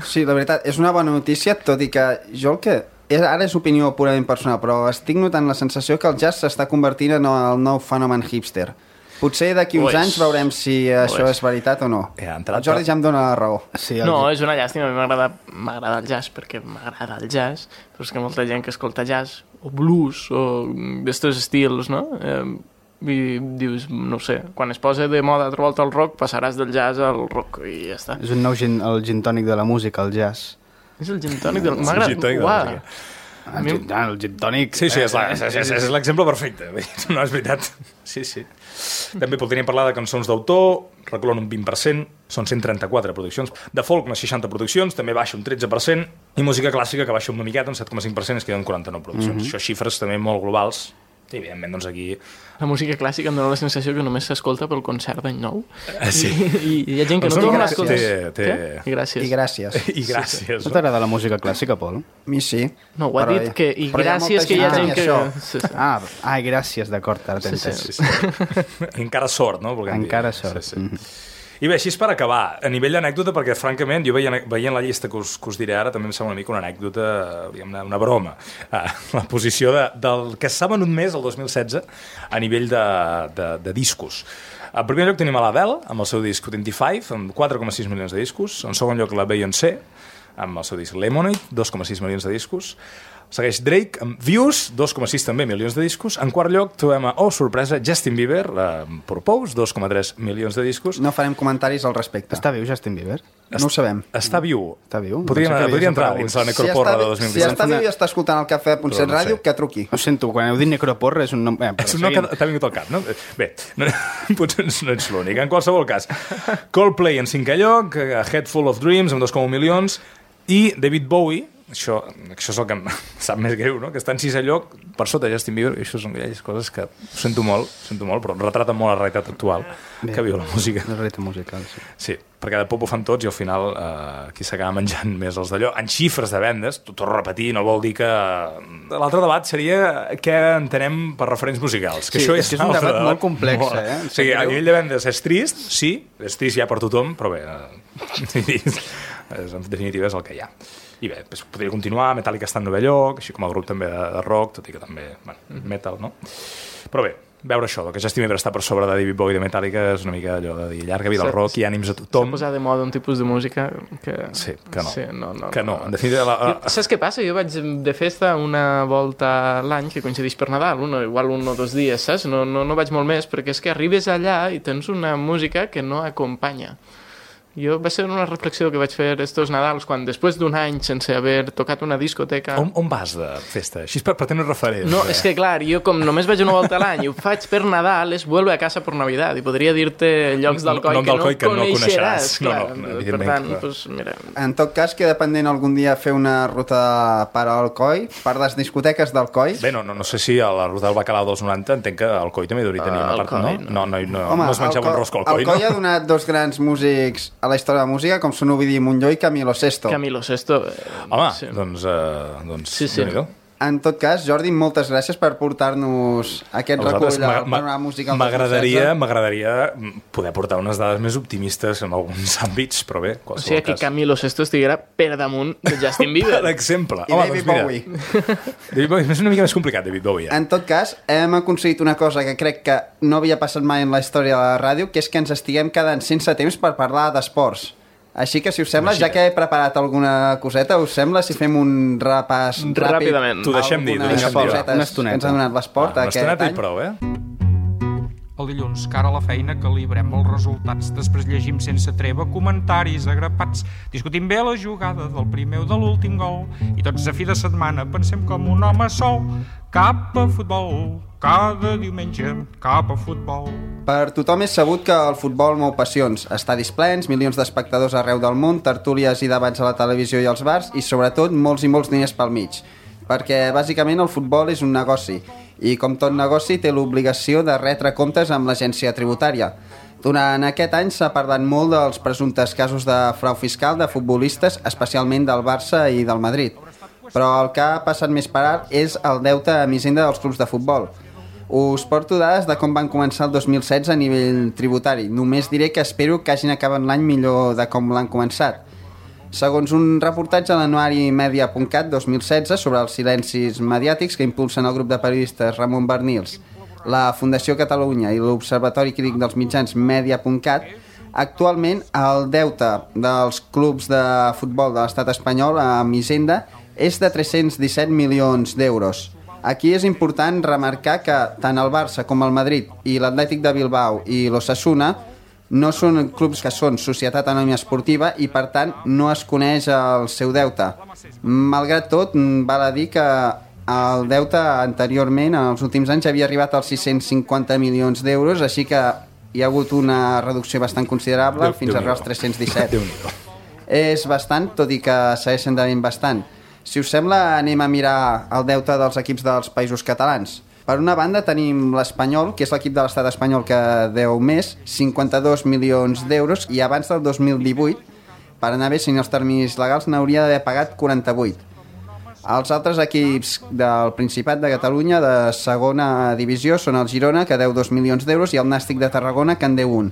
Sí, la veritat, és una bona notícia, tot i que jo el que... Ara és opinió purament personal, però estic notant la sensació que el jazz s'està convertint en el nou fenomen hipster. Potser d'aquí uns anys veurem si això és veritat o no. El Jordi ja em dona la raó. Sí, no, és una llàstima. A mi m'agrada el jazz perquè m'agrada el jazz, però és que molta gent que escolta jazz o blues o d'estos estils, no? I dius, no sé, quan es posa de moda trobar el rock, passaràs del jazz al rock i ja està. És un nou el gin tònic de la música, el jazz. És el gin tònic del... M'agrada. El gin tònic... Sí, és l'exemple perfecte. No, és veritat. Sí. També podríem parlar de cançons d'autor, reculen un 20%, són 134 produccions. De folk, unes 60 produccions, també baixa un 13%, i música clàssica, que baixa una miqueta, un 7,5%, es queden 49 produccions. Això xifres també molt globals. I, evidentment, doncs aquí... La música clàssica em dona la sensació que només s'escolta pel concert d'any nou. Sí. I hi ha gent que no torna a escoltar. I gràcies. I gràcies. No t'agrada la música clàssica, Pol? A mi sí. No, ho ha dit que... I gràcies que hi ha gent que... Ah, gràcies, d'acord, ara t'he entès. Encara sort, no? Encara sort. I bé, així és per acabar. A nivell d'anècdota, perquè francament, jo veient la llista que us diré ara, també em sembla una mica una anècdota, una broma. La posició del que s'ha venut més el 2016 a nivell de discos. En primer lloc tenim a l'Adele, amb el seu disc 25, amb 4,6 milions de discos. En segon lloc la Beyoncé, amb el seu disc Lemonade, 2,6 milions de discos. Segueix Drake amb Views, 2,6 també milions de discos. En quart lloc trobem sorpresa, Justin Bieber, Purpose, 2,3 milions de discos. No farem comentaris al respecte. Està viu Justin Bieber? No ho sabem. Està viu. Podria entrar dins la necroporra de 2017. Si està viu i està escoltant el Cafè de Puntset Ràdio, que truqui. Ho sento, quan heu dit necroporra és un nom... És un nom que t'ha vingut al cap, no? Bé, potser no ets l'únic. En qualsevol cas, Coldplay en 5è lloc, A Head Full of Dreams amb 2,1 milions, i David Bowie, això és el que em sap més greu, no? Que està en 6è lloc per sota de Justin Bieber, i això són aquelles coses que sento molt, però retraten molt la realitat actual que viu la música. La realitat musical, sí. Sí, perquè de pop ho fan tots i al final qui s'acaba menjant més els d'allò. En xifres de vendes, t'ho torno a repetir, no vol dir que... L'altre debat seria què entenem per referents musicals. Que sí, això és un debat molt complex, O sigui, a nivell de vendes és trist, sí, és trist ja per tothom, però bé, en definitiva és el que hi ha. I bé, podria continuar, Metallica està en 9è lloc, així com el grup també de rock, tot i que també, metal, no? Però bé, veure això, que Justin Bieber està per sobre de David Bowie de Metallica és una mica allò de dir llarga vida al rock i ànims a tothom. S'ha posat de moda un tipus de música que... Sí, que no. Sí, no. En definitiva... Saps què passa? Jo vaig de festa una volta a l'any que coincideix per Nadal, igual 1 o 2 dies, saps? No vaig molt més, perquè és que arribes allà i tens una música que no acompanya. Va ser una reflexió que vaig fer estos Nadals quan després d'un any sense haver tocat una discoteca... On vas de festa? Així per tenir referents. No, és que clar, jo com només vaig una volta a l'any i ho faig per Nadal, és vuelve a casa per Navidad, i podria dir-te llocs d'Alcoi que no coneixeràs. Per tant, doncs mira... En tot cas, queda pendent algun dia fer una ruta per a Alcoi, per les discoteques d'Alcoi. Bé, no sé si a la ruta del Bacalao dels 90 entenc que Alcoi també hauria tenir una part, no? No es menjava un rosco Alcoi, no? Alcoi ha donat 2 grans músics a la història de la música, com són Ovidi Montlló i Camilo Sesto. Camilo Sesto. Home, sí. doncs sí. En tot cas, Jordi, moltes gràcies per portar-nos aquest recull del panorama musical. M'agradaria poder portar unes dades més optimistes en alguns àmbits, però bé, o sigui que Camilo Sesto estiguera per damunt de Justin Bieber. Per exemple. I David Bowie. David Bowie és una mica més complicat, David Bowie. En tot cas, hem aconseguit una cosa que crec que no havia passat mai en la història de la ràdio, que és que ens estiguem quedant sense temps per parlar d'esports. Així que, si us sembla, ja que he preparat alguna coseta, us sembla si fem un repàs ràpid? Ràpidament. T'ho deixem dir. Una estoneta. Ens ha donat l'esport aquest any. Una estoneta i prou, El dilluns, cara a la feina, calibrem els resultats. Després llegim sense treva comentaris agrapats. Discutim bé la jugada del primer o de l'últim gol. I tots a fi de setmana pensem com un home sol. Cap a futbol, cada diumenge, cap a futbol. Per tothom és sabut que el futbol mou passions. Estadis plens, milions d'espectadors arreu del món, tertúlies i debats a la televisió i als bars i, sobretot, molts i molts diners pel mig. Perquè, bàsicament, el futbol és un negoci. I, com tot negoci, té l'obligació de retre comptes amb l'agència tributària. Durant aquest any s'ha parlat molt dels presumptes casos de frau fiscal de futbolistes, especialment del Barça i del Madrid. Però el que ha passat més per alt és el deute amb Hisenda dels clubs de futbol. Us porto dades de com van començar el 2016 a nivell tributari. Només diré que espero que hagin acabat l'any millor de com l'han començat. Segons un reportatge a l'anuari Media.cat 2016 sobre els silencis mediàtics que impulsen el grup de periodistes Ramon Bernils, la Fundació Catalunya i l'Observatori Crític dels Mitjans Media.cat, actualment el deute dels clubs de futbol de l'estat espanyol amb Hisenda és de 317 milions d'euros. Aquí és important remarcar que tant el Barça com el Madrid i l'Atlètic de Bilbao i l'Osasuna no són clubs que són societat anònima esportiva i, per tant, no es coneix el seu deute. Malgrat tot, val a dir que el deute anteriorment, en els últims anys, havia arribat als 650 milions d'euros, així que hi ha hagut una reducció bastant considerable, fins a arribar als 317. És bastant, tot i que segueixen devent bastant. Si us sembla, anem a mirar el deute dels equips dels països catalans. Per una banda tenim l'Espanyol, que és l'equip de l'estat espanyol que deu més, 52 milions d'euros, i abans del 2018, per anar bé, si els terminis legals, n'hauria d'haver pagat 48. Els altres equips del Principat de Catalunya de segona divisió són el Girona, que deu 2 milions d'euros, i el Nàstic de Tarragona, que en deu 1.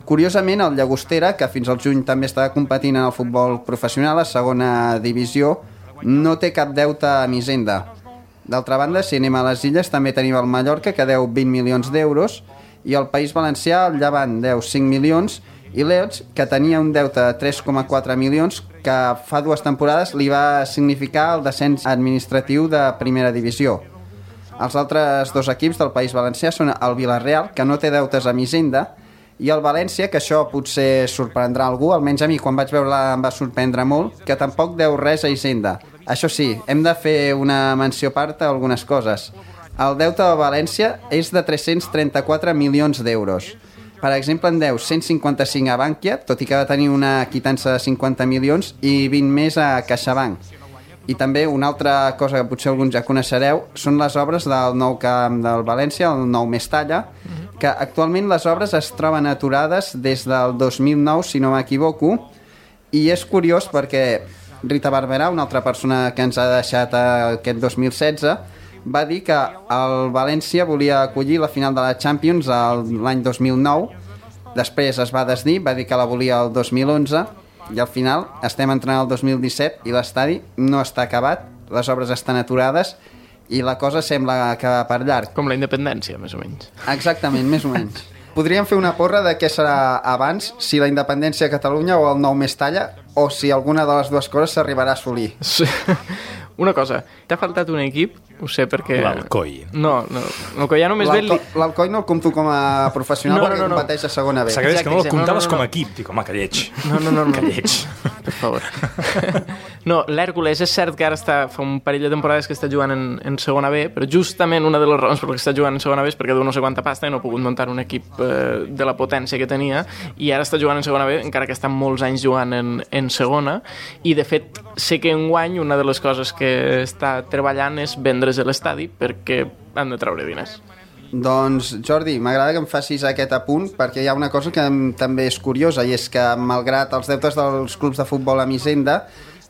Curiosament, el Llagostera, que fins al juny també estava competint en el futbol professional a segona divisió, no té cap deute amb Hisenda. D'altra banda, si anem a les illes, també tenim el Mallorca, que deu 20 milions d'euros, i el País Valencià, el Llevant, deu 5 milions, i l'Elx, que tenia un deute de 3,4 milions, que fa 2 temporades li va significar el descens administratiu de primera divisió. Els altres 2 equips del País Valencià són el Villarreal, que no té deutes amb Hisenda, i el València, que això potser sorprendrà algú, almenys a mi quan vaig veure-la em va sorprendre molt, que tampoc deu res a Hisenda. Això sí, hem de fer una menció a part a algunes coses. El deute de València és de 334 milions d'euros. Per exemple, en deu 155 a Bankia, tot i que va tenir una quitança de 50 milions, i 20 més a CaixaBank. I també una altra cosa que potser alguns ja coneixereu són les obres del nou camp del València, el nou Mestalla, que actualment les obres es troben aturades des del 2009, si no m'equivoco, i és curiós perquè Rita Barberà, una altra persona que ens ha deixat aquest 2016, va dir que el València volia acollir la final de la Champions l'any 2009, després es va desdir, va dir que la volia el 2011, i al final estem entrant al 2017 i l'estadi no està acabat, les obres estan aturades i la cosa sembla que va per llarg. Com la independència, més o menys. Exactament, més o menys. Podríem fer una porra de què serà abans, si la independència de Catalunya o el nou Mestalla, o si alguna de les dues coses s'arribarà a assolir. Sí. Una cosa, t'ha faltat un equip, ho sé perquè... L'Alcoi. No, l'Alcoi ja només ve... L'Alcoi no el compto com a professional perquè competeix a segona B. S'agraeix que no el comptaves com a equip. Dic, home, que lleig. No. Que lleig. Per favor. No, l'Hèrcules és cert que ara fa un parell de temporades que està jugant en segona B, però justament una de les raons per què està jugant en segona B és perquè deu no sé quanta pasta i no ha pogut muntar un equip de la potència que tenia, i ara està jugant en segona B, encara que està molts anys jugant en segona, i de fet sé que enguany una de les coses que està treballant és vendre's l'estadi perquè han de treure diners. Doncs, Jordi, m'agrada que em facis aquest apunt perquè hi ha una cosa que també és curiosa, i és que malgrat els deutes dels clubs de futbol amb Hisenda,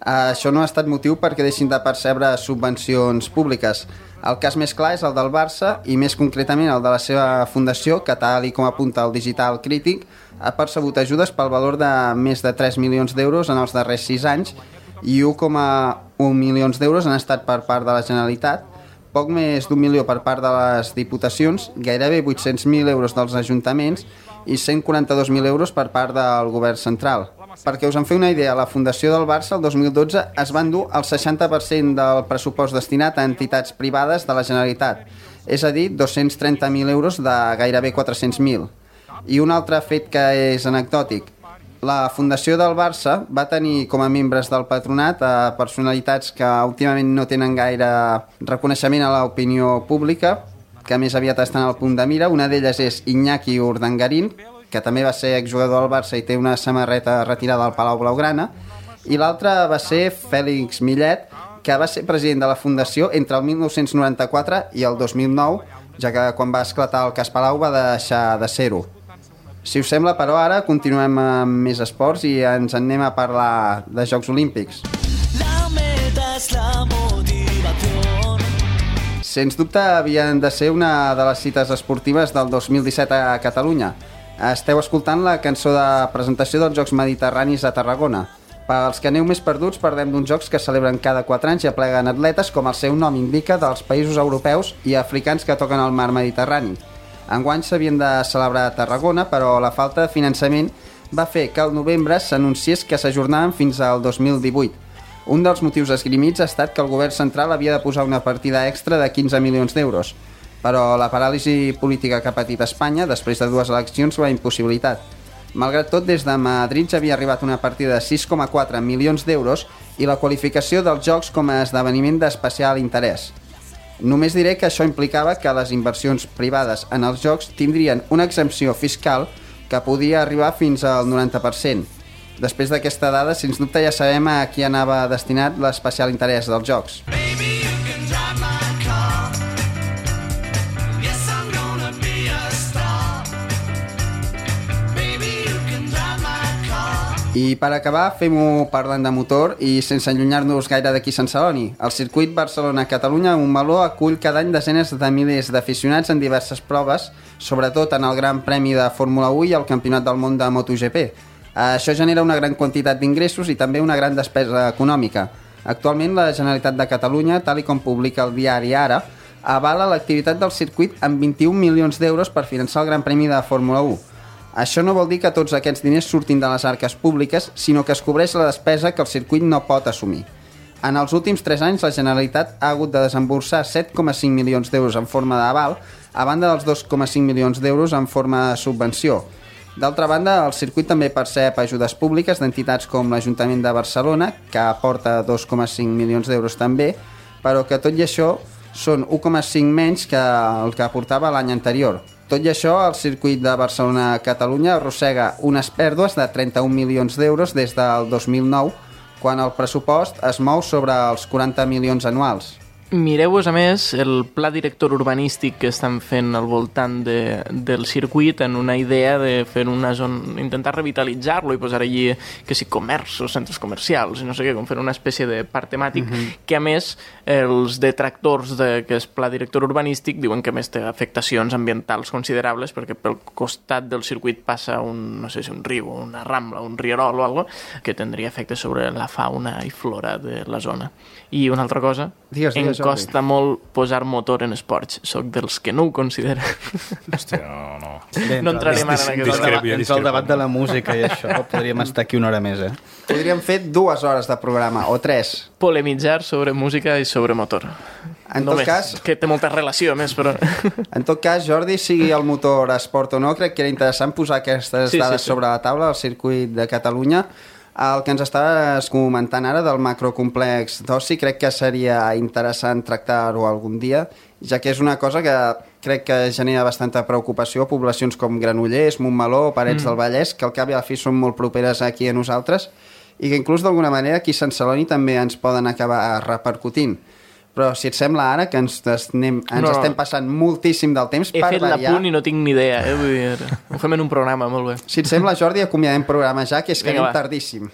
Això no ha estat motiu perquè deixin de percebre subvencions públiques. El cas més clar és el del Barça i més concretament el de la seva fundació, que tal com apunta el Digital Crític, ha percebut ajudes pel valor de més de 3 milions d'euros en els darrers 6 anys i 1,1 milions d'euros han estat per part de la Generalitat, poc més d'1 milió per part de les diputacions, gairebé 800.000 euros dels ajuntaments i 142.000 euros per part del govern central. Perquè us en feu una idea, la Fundació del Barça el 2012 es va endur el 60% del pressupost destinat a entitats privades de la Generalitat, és a dir, 230.000 euros de gairebé 400.000. I un altre fet que és anecdòtic, la Fundació del Barça va tenir com a membres del patronat a personalitats que últimament no tenen gaire reconeixement a l'opinió pública, que més aviat estan al punt de mira. Una d'elles és Iñaki Urdangarín, que també va ser exjugador del Barça i té una samarreta retirada al Palau Blaugrana, i l'altre va ser Fèlix Millet, que va ser president de la Fundació entre el 1994 i el 2009, ja que quan va esclatar el cas Palau va deixar de ser-ho. Si us sembla, però, ara continuem amb més esports i ens en anem a parlar de Jocs Olímpics. La meta és la motivació. Sens dubte havien de ser una de les cites esportives del 2017 a Catalunya. Esteu escoltant la cançó de presentació dels Jocs Mediterranis a Tarragona. Pels que aneu més perduts, parlem d'uns jocs que celebren cada 4 anys i apleguen atletes, com el seu nom indica, dels països europeus i africans que toquen el mar Mediterrani. Enguany s'havien de celebrar a Tarragona, però la falta de finançament va fer que al novembre s'anunciés que s'ajornaven fins al 2018. Un dels motius esgrimits ha estat que el govern central havia de posar una partida extra de 15 milions d'euros, però la paràlisi política que ha patit Espanya després de 2 eleccions ho ha impossibilitat. Malgrat tot, des de Madrid ja havia arribat una partida de 6,4 milions d'euros i la qualificació dels Jocs com a esdeveniment d'especial interès. Només diré que això implicava que les inversions privades en els Jocs tindrien una exempció fiscal que podia arribar fins al 90%. Després d'aquesta dada, sens dubte ja sabem a qui anava destinat l'especial interès dels Jocs. I per acabar, fem-ho parlant de motor i sense allunyar-nos gaire d'aquí Sant Celoni. El circuit Barcelona-Catalunya, un meló, acull cada any desenes de milers d'aficionats en diverses proves, sobretot en el Gran Premi de Fórmula 1 i el Campionat del Món de MotoGP. Això genera una gran quantitat d'ingressos i també una gran despesa econòmica. Actualment, la Generalitat de Catalunya, tal com publica el diari Ara, avala l'activitat del circuit amb 21 milions d'euros per finançar el Gran Premi de Fórmula 1. Això no vol dir que tots aquests diners surtin de les arques públiques, sinó que es cobreix la despesa que el circuit no pot assumir. En els últims 3 anys, la Generalitat ha hagut de desemborsar 7,5 milions d'euros en forma d'aval, a banda dels 2,5 milions d'euros en forma de subvenció. D'altra banda, el circuit també percep ajudes públiques d'entitats com l'Ajuntament de Barcelona, que aporta 2,5 milions d'euros també, però que tot i això són 1,5 menys que el que aportava l'any anterior. Tot i això, el circuit de Barcelona-Catalunya arrossega unes pèrdues de 31 milions d'euros des del 2009, quan el pressupost es mou sobre els 40 milions anuals. Mireu-vos, a més, el pla director urbanístic que estan fent al voltant del circuit en una idea de fer una zona, intentar revitalitzar-lo i posar allí, que si comerços, centres comercials i no sé què, com fer una espècie de parc temàtic, que a més els detractors d'aquest pla director urbanístic diuen que a més té afectacions ambientals considerables perquè pel costat del circuit passa un, no sé si un riu, una rambla, un rierol o alguna cosa, que tindria efectes sobre la fauna i flora de la zona. I una altra cosa, em costa molt posar motor en esports. Soc dels que no ho consideren. Hòstia, no. No entrarem ara en aquest debat. El debat de la música i això, podríem estar aquí una hora més, Podríem fer 2 hores de programa, o 3. Polemitzar sobre música i sobre motor. En tot cas, que té molta relació, més, però... En tot cas, Jordi, sigui el motor esport o no, crec que era interessant posar aquestes dades sobre la taula del circuit de Catalunya. El que ens estaves comentant ara del macrocomplex d'oci crec que seria interessant tractar-ho algun dia, ja que és una cosa que crec que genera bastanta preocupació a poblacions com Granollers, Montmeló o Parets del Vallès, que al cap i a la fi són molt properes aquí a nosaltres i que inclús d'alguna manera aquí a Sant Celoni també ens poden acabar repercutint. Però si et sembla ara que ens estem passant moltíssim del temps per variar... He fet l'apunt i no tinc ni idea, Vull dir, ho fem en un programa, molt bé. Si et sembla, Jordi, acomiadem programa ja, que és que anem tardíssim.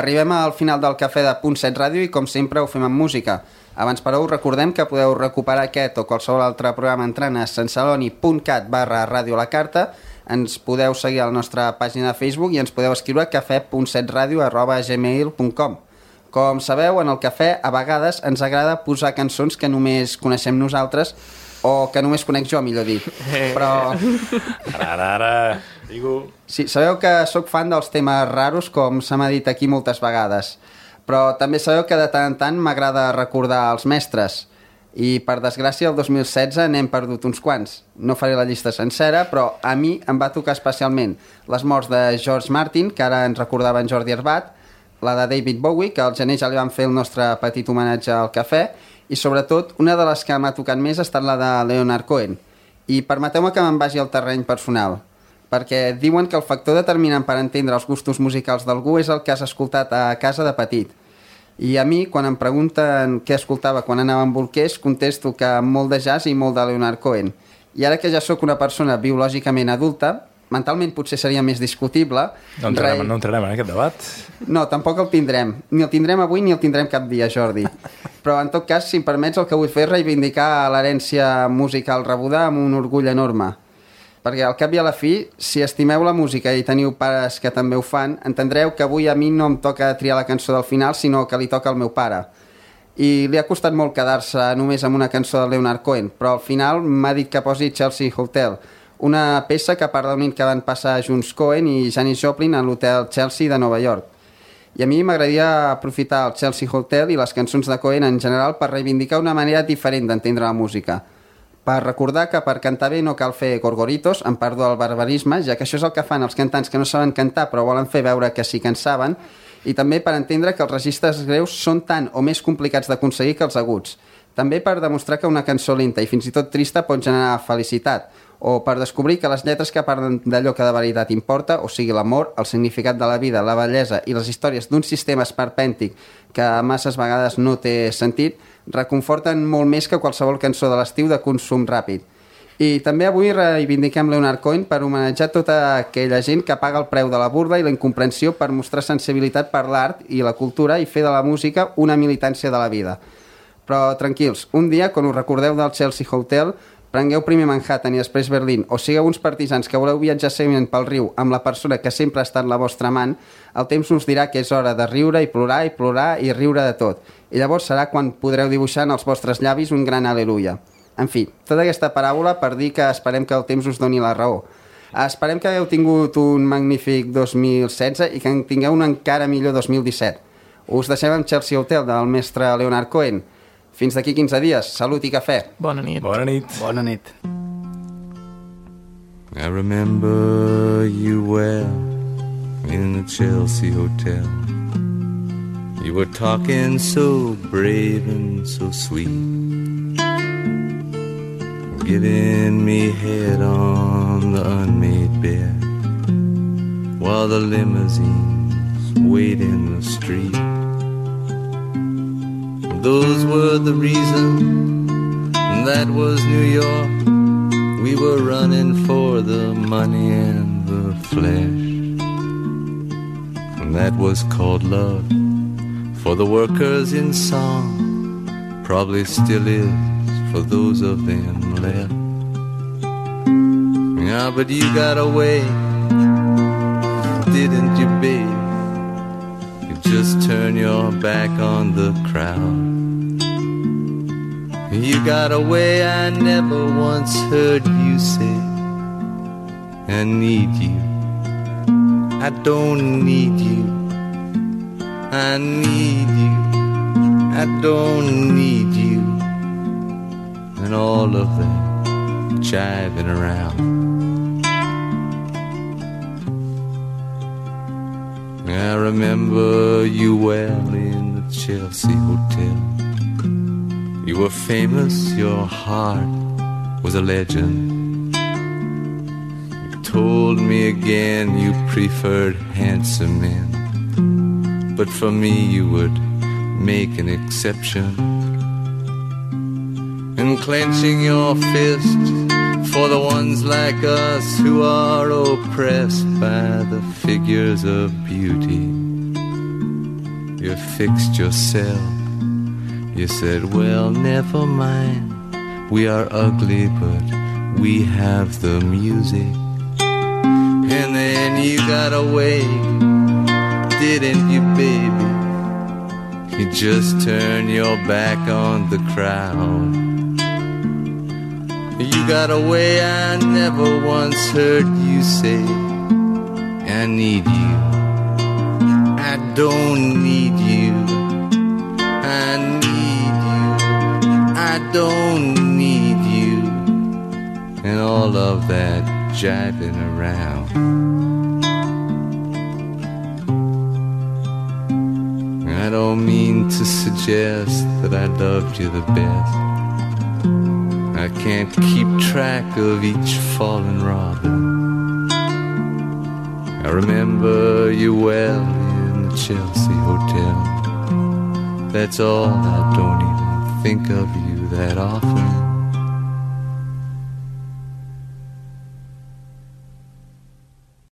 Arribem al final del Cafè de Punt 7 Ràdio i com sempre ho fem amb música. Abans però us recordem que podeu recuperar aquest o qualsevol altre programa entrant a sanceloni.cat/ràdio la carta. Ens podeu seguir a la nostra pàgina de Facebook i ens podeu escriure a cafè.setradio@gmail.com. Com sabeu, en el cafè a vegades ens agrada posar cançons que només coneixem nosaltres o que només conec jo, millor dit. Però... Ara, digo... Sí, sabeu que sóc fan dels temes raros, com se m'ha dit aquí moltes vegades. Però també sabeu que de tant en tant m'agrada recordar els mestres. I, per desgràcia, el 2016 n'hem perdut uns quants. No faré la llista sencera, però a mi em va tocar especialment les morts de George Martin, que ara ens recordava en Jordi Arbat, la de David Bowie, que al gener ja li vam fer el nostre petit homenatge al cafè, i sobretot una de les que m'ha tocat més ha estat la de Leonard Cohen. I permeteu-me que me'n vagi al terreny personal, perquè diuen que el factor determinant per entendre els gustos musicals d'algú és el que has escoltat a casa de petit. I a mi, quan em pregunten què escoltava quan anava amb bolquers, contesto que molt de jazz i molt de Leonard Cohen. I ara que ja sóc una persona biològicament adulta, mentalment potser seria més discutible. No entrarem en aquest debat. No, tampoc el tindrem. Ni el tindrem avui ni el tindrem cap dia, Jordi. Però, en tot cas, si em permets, el que vull fer és reivindicar l'herència musical rebuda amb un orgull enorme. Perquè, al cap i a la fi, si estimeu la música i teniu pares que també ho fan, entendreu que avui a mi no em toca triar la cançó del final, sinó que li toca al meu pare. I li ha costat molt quedar-se només amb una cançó de Leonard Cohen, però al final m'ha dit que posi Chelsea Hotel, una peça que parla d'un que van passar junts Cohen i Janis Joplin a l'hotel Chelsea de Nova York. I a mi m'agradaria aprofitar el Chelsea Hotel i les cançons de Cohen en general per reivindicar una manera diferent d'entendre la música. Per recordar que per cantar bé no cal fer gorgoritos, en perdó del barbarisme, ja que això és el que fan els cantants que no saben cantar però volen fer veure que sí que en saben, i també per entendre que els registres greus són tan o més complicats d'aconseguir que els aguts. També per demostrar que una cançó lenta i fins i tot trista pot generar felicitat, o per descobrir que les lletres que parlen d'allò que de veritat importa, o sigui l'amor, el significat de la vida, la bellesa i les històries d'un sistema esperpèntic que masses vegades no té sentit, reconforten molt més que qualsevol cançó de l'estiu de consum ràpid. I també avui reivindiquem Leonard Cohen per homenatjar tota aquella gent que paga el preu de la burla i la incomprensió per mostrar sensibilitat per l'art i la cultura i fer de la música una militància de la vida. Però tranquils, un dia, quan us recordeu del Chelsea Hotel, prengueu primer Manhattan i després Berlín, o sigueu uns partisans que voleu viatjar seguiment pel riu amb la persona que sempre ha estat la vostra amant, el temps us dirà que és hora de riure i plorar i riure de tot. I llavors serà quan podreu dibuixar en els vostres llavis un gran aleluia. En fi, tota aquesta paràbola per dir que esperem que el temps us doni la raó. Esperem que hagueu tingut un magnífic 2016 i que en tingueu un encara millor 2017. Us deixem amb Chelsea Hotel del mestre Leonard Cohen. Fins d'aquí 15 dies. Salut i cafè. Bona nit. Bona nit. Bona nit. I remember you well in the Chelsea Hotel. You were talking so brave and so sweet, giving me head on the unmade bed while the limousines wait in the street. Those were the reasons, that was New York. We were running for the money and the flesh, and that was called love for the workers in song, probably still is for those of them left. Yeah, but you got away, didn't you, babe? You just turn your back on the crowd. You got away, I never once heard you say, I need you, I don't need you, I need you, I don't need you, and all of that jiving around. I remember you well in the Chelsea Hotel. You were famous, your heart was a legend. You told me again you preferred handsome men, but for me you would make an exception. And clenching your fist for the ones like us who are oppressed by the figures of beauty, you fixed yourself. You said, well, never mind, we are ugly, but we have the music. And then you got away, didn't you, baby? You just turned your back on the crowd. You got away, I never once heard you say, I need you, I don't need you, I need you, I don't need you, and all of that jiving around. I don't mean to suggest that I loved you the best. I can't keep track of each fallen robin. I remember you well in the Chelsea Hotel. That's all, I don't even think of you that often.